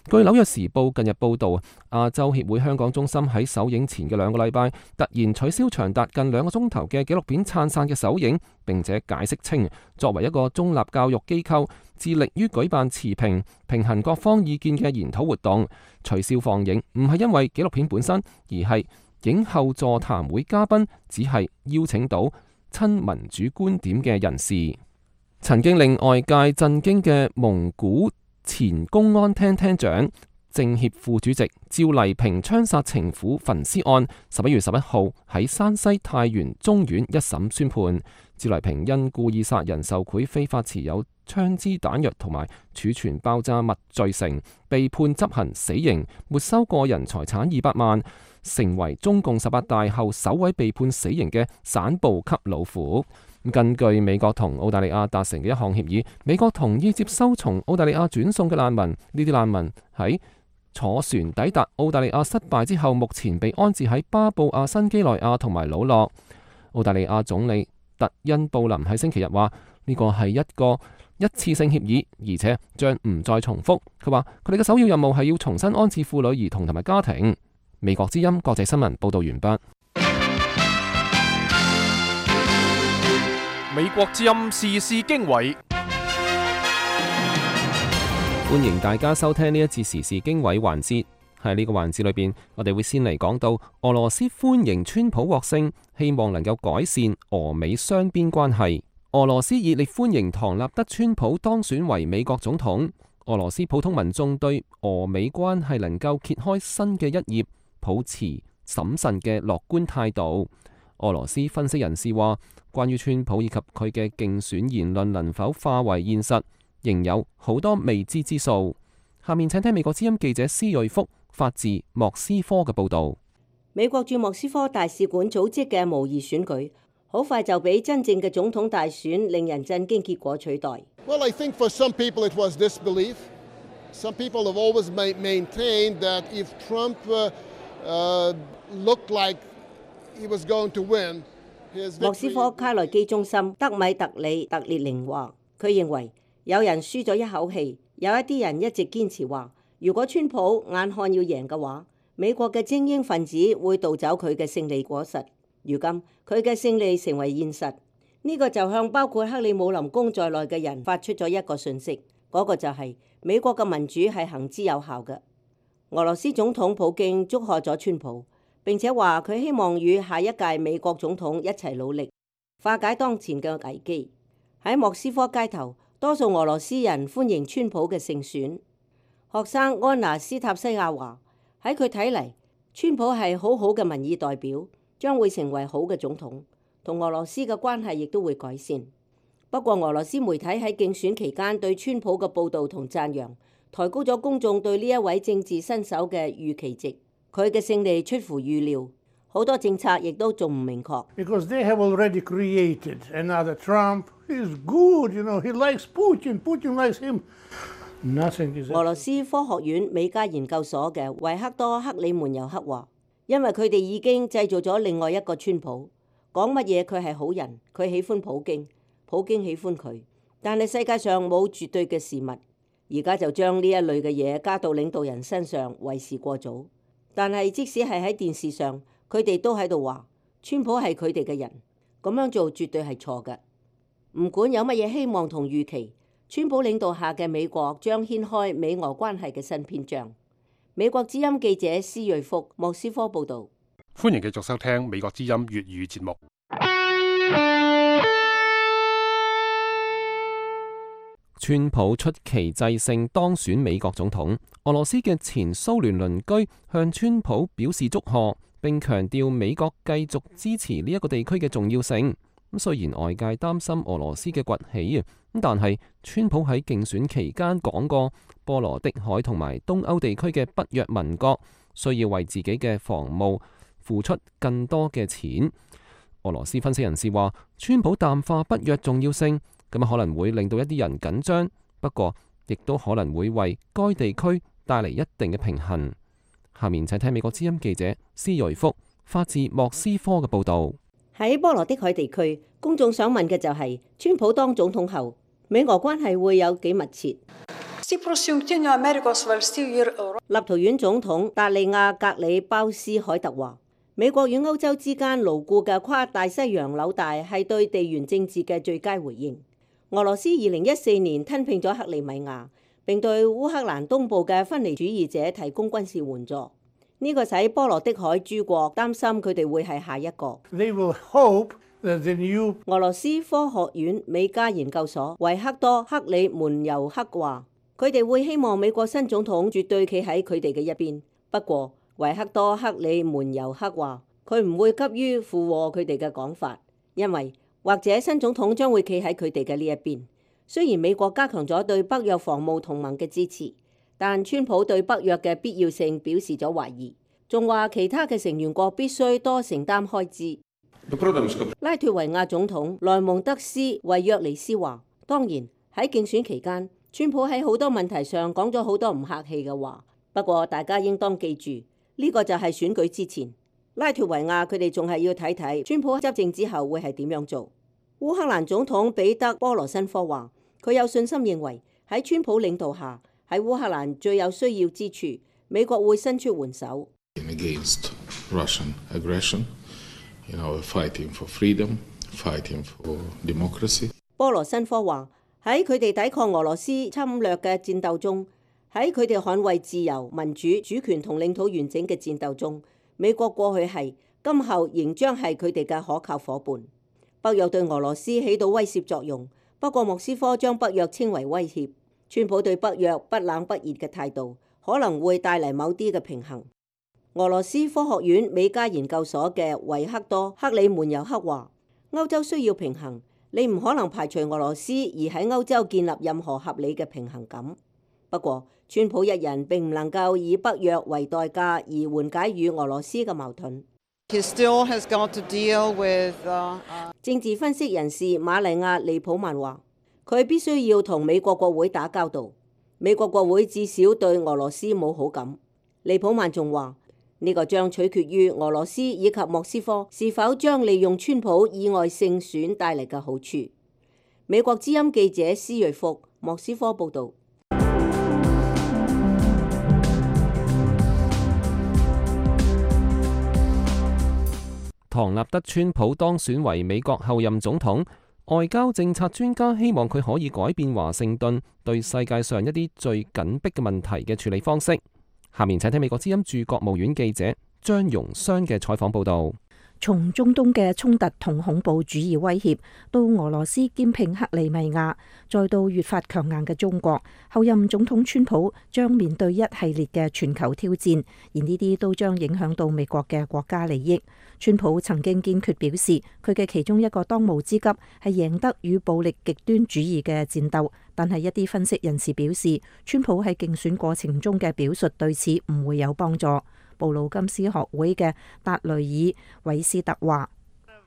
據紐約時報近日報道，亞洲協會香港中心喺首映前嘅兩個禮拜突然取消長達近兩個鐘頭嘅紀錄片《燦傘》嘅首映，並且解釋稱，作為一個中立教育機構，致力於舉辦持平、平衡各方意見嘅研討活動，取消放映唔係因為紀錄片本身，而係影後座談會嘉賓只係邀請到親民主觀點嘅人士。曾經令外界震驚嘅蒙古前公安廳廳長政協副主席趙麗萍槍殺情婦焚屍案，十一月十一號喺山西太原中院一審宣判，趙麗萍因故意殺人、受賄、非法持有槍支彈藥同埋儲存爆炸物罪成，被判執行死刑，沒收個人財產二百萬，成為中共十八大後首位被判死刑嘅省部級老虎。根據美國同澳大利亞達成嘅一項協議，美國同意接收從澳大利亞轉送嘅難民。呢啲難民喺坐船抵達澳大利亞失敗之後，目前被安置喺巴布亞新幾內亞同埋魯諾。澳大利亞總理特恩布林喺星期日話：呢個係一個一次性協議，而且將唔再重複。佢話佢哋嘅首要任務係要重新安置婦女、兒童同埋家庭。美國之音國際新聞報道完畢。美國之音時事經緯，歡迎大家收聽呢一節時事經緯環節。喺呢個環節裏邊，我哋會先嚟講到俄羅斯歡迎川普獲勝，希望能夠改善俄美雙邊關係。俄羅斯熱烈歡迎唐納德川普當選為美國總統。俄羅斯普通民眾對俄美關係能夠揭開新嘅一頁，抱持審慎嘅樂觀態度。俄羅斯分析人士話，關於川普以及佢嘅競選言論能否化為現實，仍有好多未知之數。下面請聽美國之音記者施瑞福發自莫斯科嘅報導。美國駐莫斯科大使館組織嘅模擬選舉，好快就俾真正嘅總統大選令人震驚結果取代。Well, I think for some people it was disbelief. Some people have always maintained that if Trump uh, uh, looked like he was going to win, his victory... 莫斯科卡內基中心德米特里特列寧話，佢認為有人輸咗一口氣，有一啲人一直堅持話，如果川普眼看要贏嘅話，美國嘅精英分子會盜走佢嘅勝利果實。如今佢嘅勝利成為現實，呢、這個就向包括克里姆林宮在內嘅人發出咗一個訊息，嗰、那個就係美國嘅民主係行之有效嘅。俄羅斯總統普京祝賀咗川普，並且話佢希望與下一屆美國總統一齊努力化解當前嘅危機。喺莫斯科街頭，多數俄羅斯人歡迎川普嘅勝選。學生安娜斯塔西亞話：喺佢睇嚟，川普係好好嘅民意代表，將會成為好嘅總統，同俄羅斯嘅關係亦都會改善。不過，俄羅斯媒體喺競選期間對川普嘅報導同讚揚，抬高咗公眾對呢一位政治新手嘅預期值。佢嘅勝利出乎預料，好多政策亦都仲唔明確。Because they have already created another Trump. He's good, you know. He likes Putin. Putin likes him. Nothing is. 俄羅斯科學院美加研究所嘅維克多克里門尤克話，因為佢哋已經製造咗另外一個川普，講乜嘢佢係好人，佢喜歡普京，普京喜歡佢。但係世界上冇絕對嘅事物，而家就將呢一類嘅嘢加到領導人身上，為時過早。但係即使係喺電視上，佢哋都喺度話川普係佢哋嘅人，咁樣做絕對係錯嘅。唔管有乜嘢希望同預期，川普領導下嘅美國將掀開美俄關係嘅新篇章。美國之音記者施瑞福莫斯科報導。歡迎繼續收聽美國之音粵語節目。川普出奇制勝當選美國總統，俄羅斯嘅前蘇聯鄰居向川普表示祝賀，並強調美國繼續支持呢一個地區嘅重要性。咁雖然外界擔心俄羅斯嘅崛起啊，咁但係川普喺競選期間講過，波羅的海同埋東歐地區嘅北約盟國需要為自己嘅防務付出更多嘅錢。俄羅斯分析人士話，川普淡化北約重要性，咁可能會令到一啲人緊張，不過亦都可能會為該地區帶嚟一定嘅平衡。下面請聽美國之音記者施瑞福發自莫斯科嘅報導。喺波羅的海地區，公眾想問嘅就係、是、川普當總統後，美俄關係會有幾密切？立陶宛總統達利亞格里鮑斯凱特話：美國與歐洲之間牢固嘅跨大西洋紐帶係對地緣政治嘅最佳回應。俄羅斯二零一四年吞併咗克里米亞，並對烏克蘭東部嘅分離主義者提供軍事援助。呢、這個使波羅的海諸國擔心佢哋會係下一個。They will hope that the new... 俄羅斯科學院美加研究所維克多克里門尤克話：佢哋會希望美國新總統絕對企喺佢哋嘅一邊。不過，維克多·克里門尤克話，佢唔會急於附和佢哋嘅講法，因為或者新總統將會企喺佢哋嘅呢一邊。雖然美國加強咗對北約防務同盟嘅支持，但川普對北約嘅必要性表示咗懷疑，仲話其他嘅成員國必須多承擔開支。拉脫維亞總統萊蒙德斯維約尼斯話，當然喺競選期間，川普喺好多問題上講咗好多唔客氣嘅話。不過大家應當記住，呢個就係選舉之前，拉脫維亞佢哋仲係要睇睇川普執政之後會係點樣做。烏克蘭總統彼得波羅申科話，佢有信心認為喺川普領導下，喺烏克蘭最有需要之處，美國會伸出援手。Against Russian aggression, you know, fighting for freedom, fighting for democracy. 波羅申科話，喺佢哋抵抗俄羅斯侵略嘅戰鬥中，喺佢哋捍衛自由、民主、主權同領土完整嘅戰鬥中，美國過去係，今後仍將係佢哋嘅可靠夥伴。北約對俄羅斯起到威懾作用，不過莫斯科將北約稱為威脅。川普對北約不冷不熱嘅態度，可能會帶嚟某啲嘅平衡。俄羅斯科學院美加研究所嘅維克多·克里門尤克話，歐洲需要平衡，你唔可能排除俄羅斯而喺歐洲建立任何合理嘅平衡感。不過，川普一人並唔能夠以北約為代價而緩解與俄羅斯嘅矛盾。He still has got to deal with, uh, uh... 政治分析人士瑪麗亞·利普曼話，佢必須要同美國國會打交道。美國國會至少對俄羅斯冇好感。利普曼仲話，呢個將取決於俄羅斯以及莫斯科是否將利用川普意外勝選帶嚟嘅好處。美國之音記者施瑞福，莫斯科報導。唐納德·川普當選為美國後任總統，外交政策專家希望佢可以改變華盛頓對世界上一啲最緊迫嘅問題嘅處理方式。下面請聽美國之音駐國務院記者張容湘嘅採訪報導。從中東嘅衝突同恐怖主義威脅，到俄羅斯兼併克里米亞，再到越發強硬嘅中國，後任總統川普將面對一系列嘅全球挑戰，而呢啲都將影響到美國嘅國家利益。川普曾經堅決表示，佢嘅其中一個當務之急係贏得與暴力極端主義嘅戰鬥，但係一啲分析人士表示，川普喺競選過程中嘅表述對此唔會有幫助。布魯金斯學會嘅達雷爾韋斯特話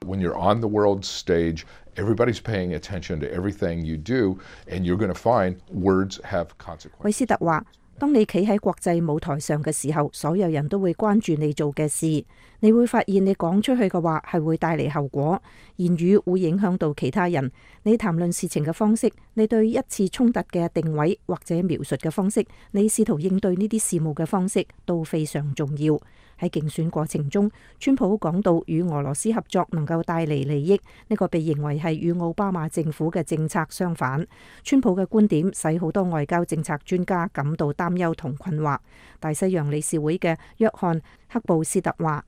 ：When you're on the world stage, everybody's paying attention to everything you do, and you're going to find words have consequences. 韋斯特話：當你企喺國際舞台上嘅時候，所有人都會關注你做嘅事。你會發現你講出去嘅話係會帶嚟後果，言語會影響到其他人。你談論事情嘅方式，你對一次衝突嘅定位或者描述嘅方式，你試圖應對呢啲事務嘅方式都非常重要。喺競選過程中，川普講到與俄羅斯合作能夠帶嚟利益，呢個被認為係與奧巴馬政府嘅政策相反。川普嘅觀點使好多外交政策專家感到擔憂同困惑。大西洋理事會嘅約翰克布斯特話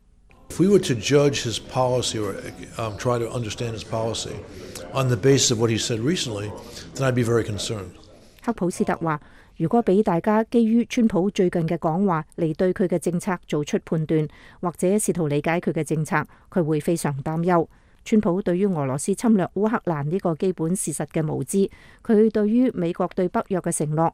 ：If we were to judge his policy or um, try to understand his policy on the basis of what he said recently, then I'd be very concerned. 克普斯特話：如果俾大家基於川普最近嘅講話嚟對佢嘅政策做出判斷，或者試圖理解佢嘅政策，佢會非常擔憂。川普對於俄羅斯侵略烏克蘭呢個基本事實嘅無知，佢對於美國對北約嘅承諾，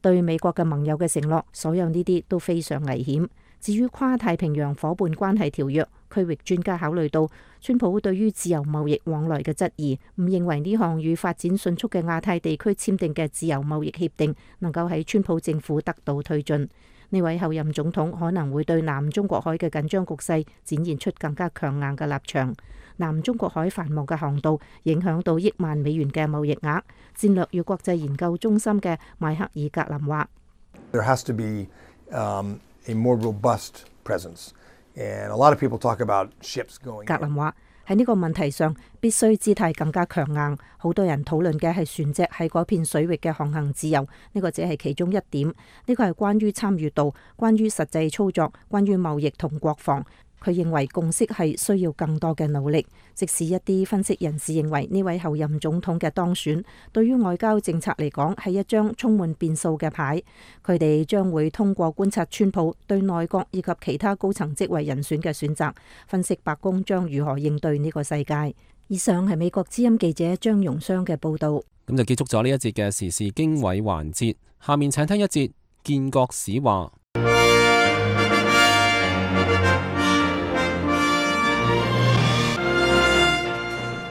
對美國嘅盟友嘅承諾，所有呢啲都非常危險。至於跨太平洋夥伴關係條約，區域專家考慮到川普對於自由貿易往來嘅質疑，唔認為呢項與發展迅速嘅亞太地區簽訂嘅自由貿易協定能夠喺川普政府得到推進。呢位後任總統可能會對南中國海嘅緊張局勢展現出更加強硬嘅立場。南中國海繁忙嘅航道影響到億萬美元嘅貿易額。戰略與國際研究中心嘅邁克爾格林話：There has to be, um, a more robust presence, and a lot of people talk about ships going. 格林話喺呢個問題上必須姿態更加強硬。好多人討論嘅係船隻喺嗰片水域嘅航行自由，呢個只係其中一點。呢個係關於參與度、關於實際操作、關於貿易同國防。佢認為共識係需要更多嘅努力，即使一啲分析人士認為呢位候任總統嘅當選對於外交政策嚟講係一張充滿變數嘅牌，佢哋將會通過觀察川普對內閣以及其他高層職位人選嘅選擇，分析白宮將如何應對呢個世界。以上係美國之音記者張容雙嘅報道。咁就結束咗呢一節嘅時事經緯環節，下面請聽一節建國史話。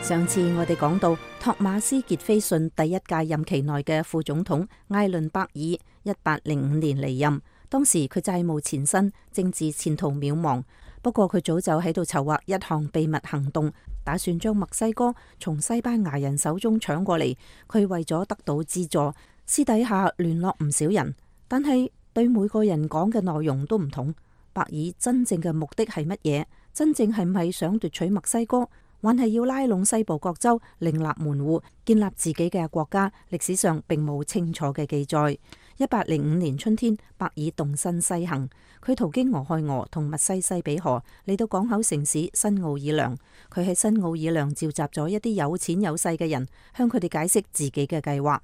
上次我哋講到托馬斯傑菲遜第一屆任期內嘅副總統艾倫伯爾，一八零五年離任，當時佢債務纏身，政治前途渺茫。不過佢早就喺度籌劃一項秘密行動，打算將墨西哥從西班牙人手中搶過嚟。佢為咗得到資助，私底下聯絡唔少人，但係對每個人講嘅內容都唔同。伯爾真正嘅目的係乜嘢？真正係唔係想奪取墨西哥？還係要拉攏西部各州，另立門戶，建立自己嘅國家？歷史上並冇清楚嘅記載。一八零五年春天，伯爾動身西行，佢途經俄亥俄同密西西比河，嚟到港口城市新奧爾良。佢喺新奧爾良召集咗一啲有錢有勢嘅人，向佢哋解釋自己嘅計劃。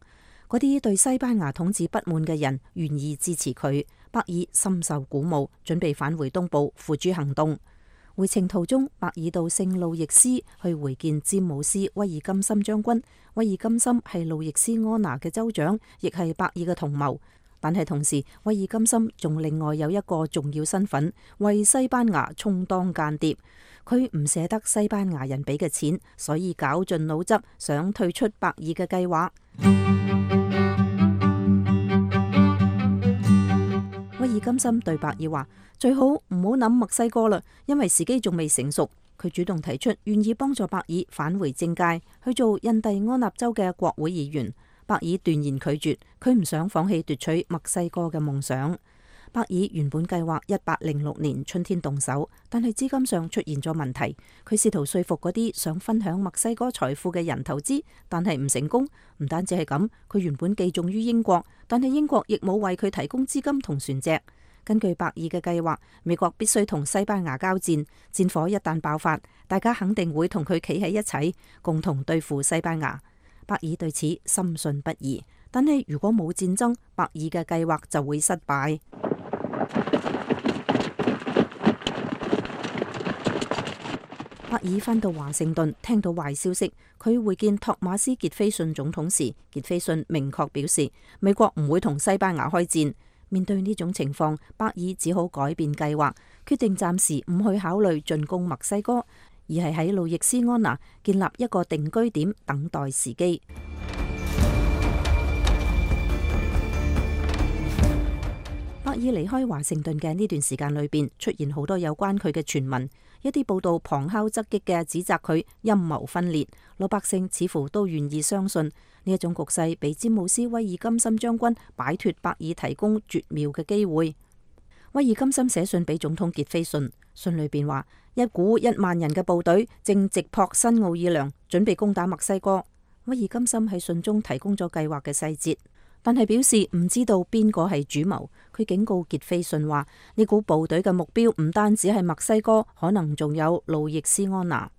嗰啲對西班牙統治不滿嘅人願意支持佢，伯爾深受鼓舞，準備返回東部付諸行動。回程途中，伯爾到聖路易斯去會見詹姆斯威爾金森將軍。威爾金森係路易斯安那嘅州長，亦係伯爾嘅同謀。但係同時，威爾金森仲另外有一個重要身份，為西班牙充當間諜。佢唔捨得西班牙人俾嘅錢，所以絞盡腦汁想退出伯爾嘅計劃。威爾金森對伯爾話：最好唔好諗墨西哥啦，因為時機仲未成熟。佢主動提出願意幫助伯爾返回政界，去做印第安納州嘅國會議員。伯爾斷然拒絕，佢唔想放棄奪取墨西哥嘅夢想。伯爾原本計劃一八零六年春天動手，但係資金上出現咗問題。佢試圖說服嗰啲想分享墨西哥財富嘅人投資，但係唔成功。唔單止係咁，佢原本寄重於英國，但係英國亦冇為佢提供資金同船隻。根據伯爾嘅計劃，美國必須同西班牙交戰，戰火一旦爆發，大家肯定會同佢企喺一齊，共同對付西班牙。伯爾對此深信不疑，但係如果冇戰爭，伯爾嘅計劃就會失敗。伯爾返到華盛頓，聽到壞消息，佢會見托馬斯傑菲遜總統時，傑菲遜明確表示美國唔會同西班牙開戰。面對呢種情況，伯爾只好改變計劃，決定暫時唔去考慮進攻墨西哥，而係喺路易斯安那建立一個定居點，等待時機。伯爾離開華盛頓嘅呢段時間裏邊，出現好多有關佢嘅傳聞，一啲報道旁敲側擊嘅指責佢陰謀分裂，老百姓似乎都願意相信呢一種局勢，俾詹姆斯威爾金森將軍擺脫伯爾提供絕妙嘅機會。威爾金森寫信俾總統傑菲遜，信裏邊話一股一萬人嘅部隊正直撲新奧爾良，準備攻打墨西哥。威爾金森喺信中提供咗計劃嘅細節，但係表示唔知道邊個係主謀。佢警告傑菲遜話呢股部隊嘅目標唔單止係墨西哥，可能仲有路易斯安那。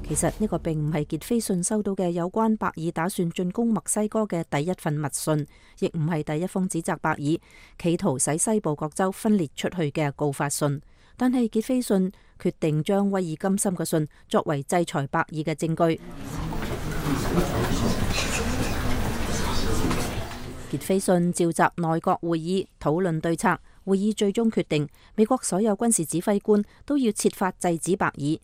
其實呢個並唔係傑菲遜收到嘅有關伯爾打算進攻墨西哥嘅第一份密信，亦唔係第一封指責伯爾企圖使西部各州分裂出去嘅告發信。但係傑菲遜決定將威爾金森嘅信作為制裁伯爾嘅證據。傑菲遜召集內閣會議討論對策，會議最終決定美國所有軍事指揮官都要設法制止伯爾。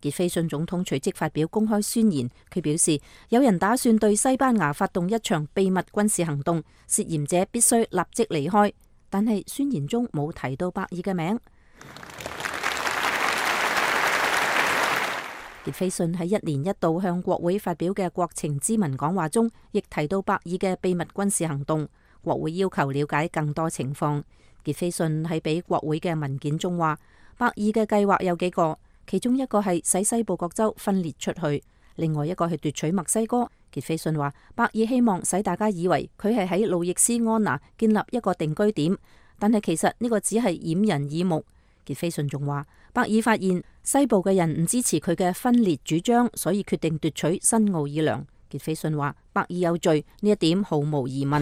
傑菲遜總統隨即發表公開宣言，佢表示有人打算對西班牙發動一場秘密軍事行動，涉嫌者必須立即離開。但係宣言中冇提到伯爾嘅名。傑菲遜喺一年一度向國會發表嘅國情咨文講話中，亦提到伯爾嘅秘密軍事行動。國會要求了解更多情況。傑菲遜喺俾國會嘅文件中話，伯爾嘅計劃有幾個。其中一個係使西部各州分裂出去，另外一個係奪取墨西哥。傑菲遜話，伯爾希望使大家以為佢係喺路易斯安那建立一個定居點，但係其實呢個只係掩人耳目。傑斐遜仲話，伯爾發現西部嘅人唔支持佢嘅分裂主張，所以決定奪取新奧爾良。傑斐遜話，伯爾有罪，呢一點毫無疑問。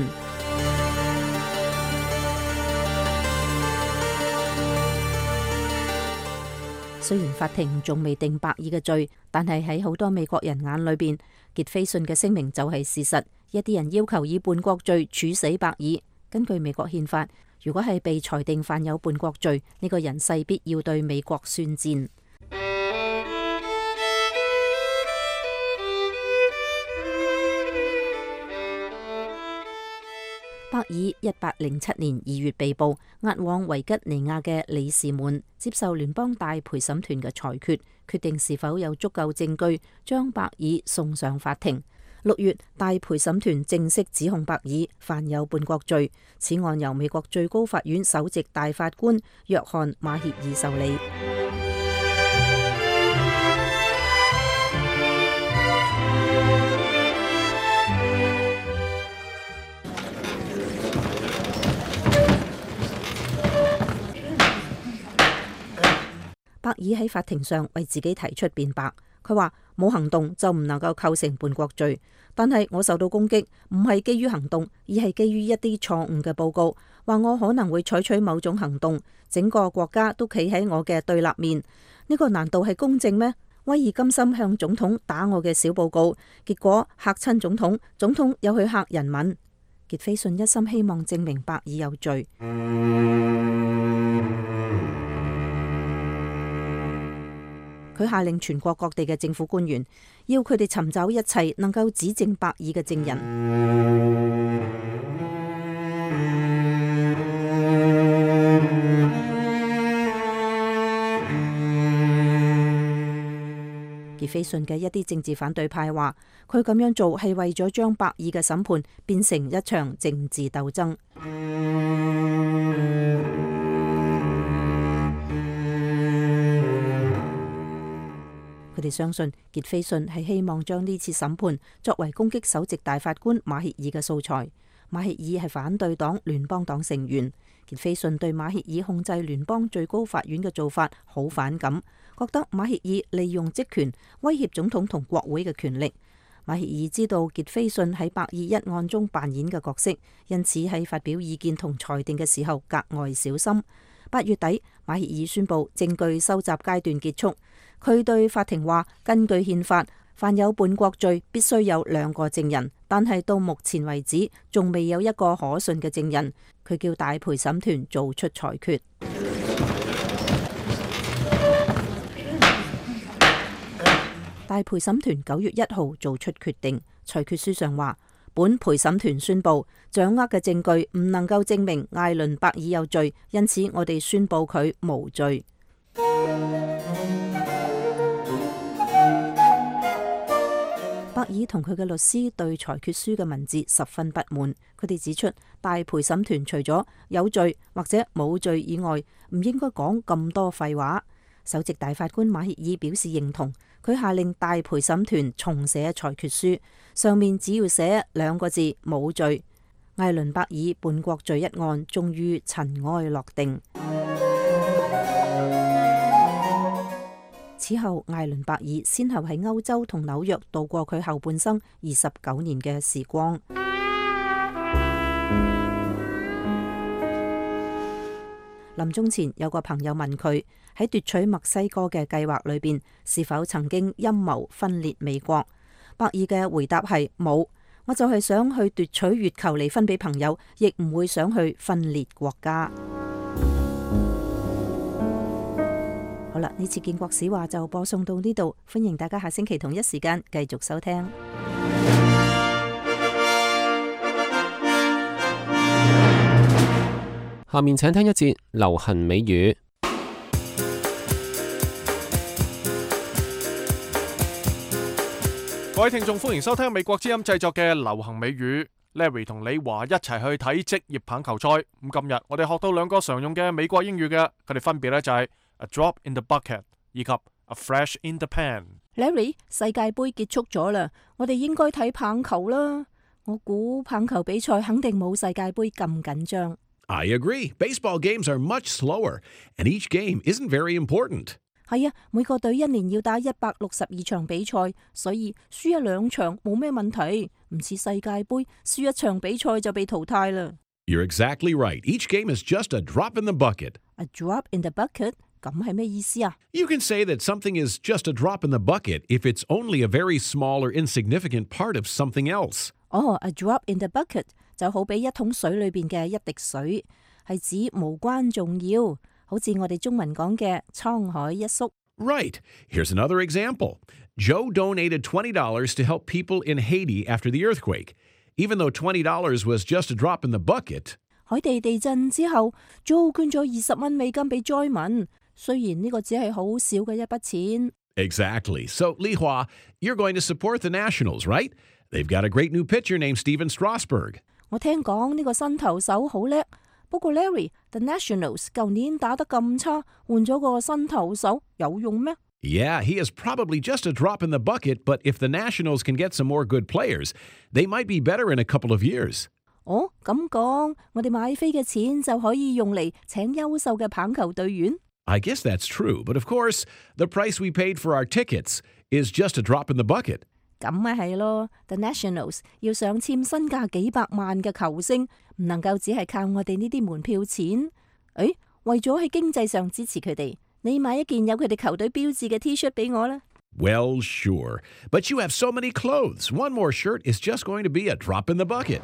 雖然法庭仲未定伯爾嘅罪，但係喺好多美國人眼裏邊，傑斐遜嘅聲明就係事實。一啲人要求以叛國罪處死伯爾。根據美國憲法，如果係被裁定犯有叛國罪，呢個人勢必要對美國宣戰。伯爾一八零七年二月被捕，押往維吉尼亞嘅里士滿接受聯邦大陪審團嘅裁決，決定是否有足夠證據將伯爾送上法庭。六月，大陪審團正式指控伯爾犯有叛國罪，此案由美國最高法院首席大法官約翰馬歇爾受理。伯爾喺法庭上為自己提出辯白，佢話冇行動就唔能夠構成叛國罪，但係我受到攻擊唔係基於行動，而係基於一啲錯誤嘅報告，話我可能會採取某種行動，整個國家都企喺我嘅對立面，呢個難道係公正咩？威爾甘心向總統打我嘅小報告，結果嚇親總統，總統又去嚇人民。傑斐遜一心希望證明伯爾有罪。佢下令全國各地嘅政府官員，要佢哋尋找一切能夠指證伯爾嘅證人。傑斐遜嘅一啲政治反對派話，佢咁樣做係為咗將伯爾嘅審判變成一場政治鬥爭。佢哋相信傑斐遜係希望將呢次審判作為攻擊首席大法官馬歇爾嘅素材。馬歇爾係反對黨聯邦黨成員，傑斐遜對馬歇爾控制聯邦最高法院嘅做法好反感，覺得馬歇爾利用職權威脅總統同國會嘅權力。馬歇爾知道傑斐遜喺伯爾一案中扮演嘅角色，因此喺發表意見同裁定嘅時候格外小心。八月底，馬歇爾宣布證據收集階段結束。佢對法庭話，根據憲法，犯有叛國罪必須有兩個證人，但係到目前為止仲未有一個可信嘅證人。佢叫大陪審團做出裁決。大陪審團九月一號做出決定，裁決書上話，本陪審團宣布掌握嘅證據唔能夠證明艾倫伯爾有罪，因此我哋宣布佢無罪。伯爾同佢嘅律師對裁決書嘅文字十分不滿，佢哋指出大陪審團除咗有罪或者冇罪以外，唔應該講咁多廢話。首席大法官馬歇爾表示認同，佢下令大陪審團重寫裁決書，上面只要寫兩個字冇罪。艾倫伯爾叛國罪一案終於塵埃落定。此後，艾倫伯爾先後喺歐洲同紐約度過佢後半生二十九年嘅時光。臨終前，有個朋友問佢喺奪取墨西哥嘅計劃裏邊，是否曾經陰謀分裂美國？伯爾嘅回答係冇，我就係想去奪取月球嚟分俾朋友，亦唔會想去分裂國家。好啦，呢次建國史話就播送到呢度，歡迎大家下星期同一時間繼續收聽。下面請聽一節流行美語。各位聽眾，歡迎收聽美國之音製作嘅流行美語。Larry 同李華一齊去睇職業棒球賽。咁今日我哋學到兩個常用嘅美國英語嘅，佢哋分別咧就係 A drop in the bucket 以及 A flash in the pan。Larry， 世界盃結束咗啦，我哋應該睇棒球啦。我估棒球比賽肯定冇世界盃咁緊張。I agree. Baseball games are much slower, and each game isn't very important. 係啊，每個隊一年要打一百六十二場比賽，所以輸一兩場冇咩問題，唔似世界盃輸一場比賽就被淘汰啦。You're exactly right. Each game is just a drop in the bucket. A drop in the bucket？ 咁係咩意思啊？ You can say that something is just a drop in the bucket if it's only a very small or insignificant part of something else. 哦、oh, a drop in the bucket 就好比一桶水裏邊嘅一滴水，係指無關重要，好似我哋中文講嘅滄海一粟。Right. Here's another example. Joe donated twenty dollars to help people in Haiti after the earthquake. Even though twenty dollars was just a drop in the bucket. 海地地震之後 ，Joe 捐咗二十蚊美金俾災民，雖然呢個只係好少嘅一筆錢。Exactly. So, Li Hua, you're going to support the Nationals, right? They've got a great new pitcher named Steven Strasburg. 我聽講呢個新投手好叻，不過 Larry，The Nationals 舊年打得咁差，換咗個新投手有用咩？ Yeah, he is probably just a drop in the bucket, but if the Nationals can get some more good players, they might be better in a couple of years. 哦，咁講，我哋買飛嘅錢就可以用嚟請優秀嘅棒球隊員。I guess that's true, but of course, the price we paid for our tickets is just a drop in the bucket. 咁咪係咯 ，The Nationals 要上簽身價幾百萬嘅球星，唔能夠只係靠我哋呢啲門票錢。誒，為咗喺經濟上支持佢哋。你買一件有佢哋球隊標誌嘅 T-shirt 俾我啦。Well, sure. But you have so many clothes. One more shirt is just going to be a drop in the bucket.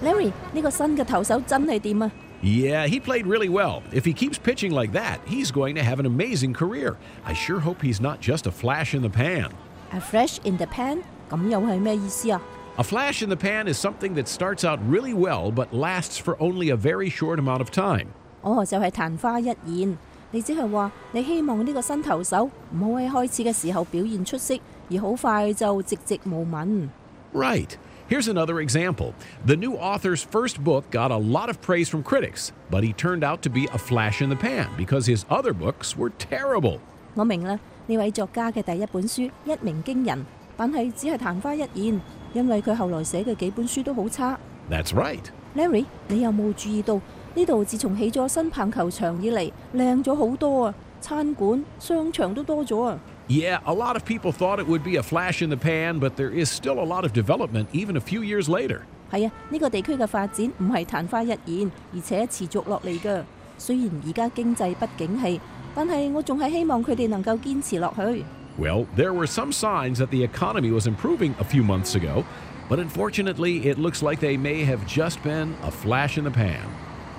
Larry， 呢個新嘅投手真係掂啊！ Yeah, he played really well. If he keeps pitching like that, he's going to have an amazing career. I sure hope he's not just a flash in the pan. A flash in the pan？ 咁又係咩意思啊？ A flash in the pan is something that starts out really well but lasts for only a very short amount of time. 哦，就係曇花一現。你即係話你希望呢個新投手唔好喺開始嘅時候表現出色，而好快就寂寂無聞。Right. Here's another example. The new author's first book got a lot of praise from critics, but he turned out to be a flash in the pan because his other books were terrible. 我明啦，呢位作家嘅第一本書一鳴驚人，但係只係曇花一現。因為佢後來寫嘅幾本書都好差。That's right. Larry， 你有冇注意到呢度自從起咗新棒球場以嚟，靚咗好多啊！餐館、商場都多咗啊！ Yeah, a lot of people thought it would be a flash in the pan, but there is still a lot of development even a few years later. 係啊，呢個地區嘅發展唔係曇花一現，而且持續落嚟㗎。雖然而家經濟不景氣，但係我仲係希望佢哋能夠堅持落去。Well, there were some signs that the economy was improving a few months ago, but unfortunately, it looks like they may have just been a flash in the pan.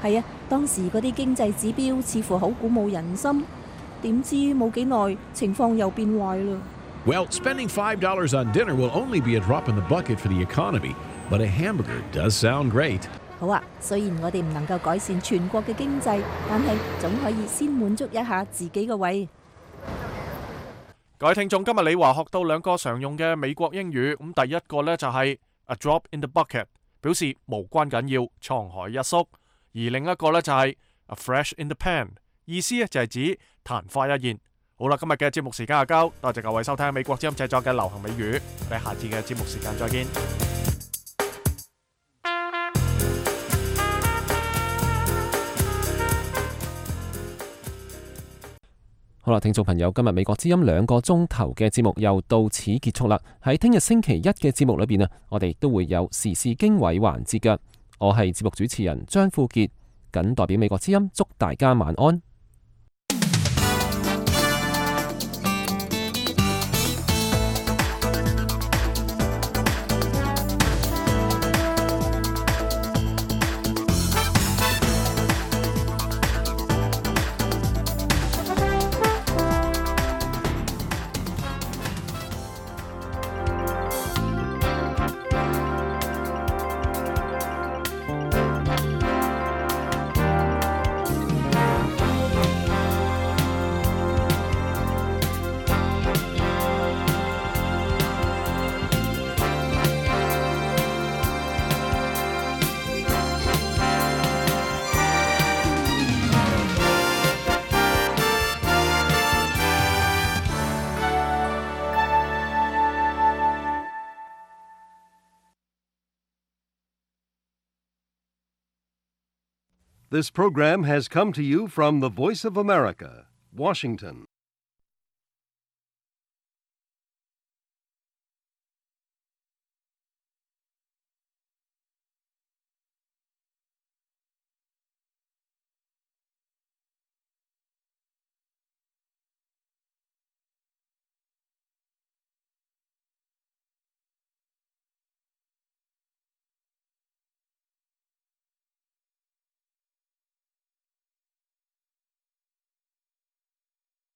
係啊，當時嗰啲經濟指標似乎好鼓舞人心，點知冇幾耐，情況又變壞啦。Well, spending five dollars on dinner will only be a drop in the bucket for the economy, but a hamburger does sound great. 好啊，雖然我哋唔能夠改善全國嘅經濟，但係總可以先滿足一下自己嘅胃。各位聽眾，今日李華學到兩個常用嘅美國英語，咁第一個呢就係 a drop in the bucket， 表示無關緊要，滄海一粟；而另一個呢就係 a flash in the pan， 意思呢就係指曇花一現。好啦，今日嘅節目時間就夠，多謝各位收聽美國之音製作嘅流行美語，我哋下次嘅節目時間再見。好啦，聽眾朋友，今日美國之音兩個鐘頭嘅節目又到此結束啦。喺聽日星期一嘅節目裏邊啊，我哋亦都會有時事經緯環節嘅。我係節目主持人張富傑，謹代表美國之音祝大家晚安。This program has come to you from the Voice of America, Washington.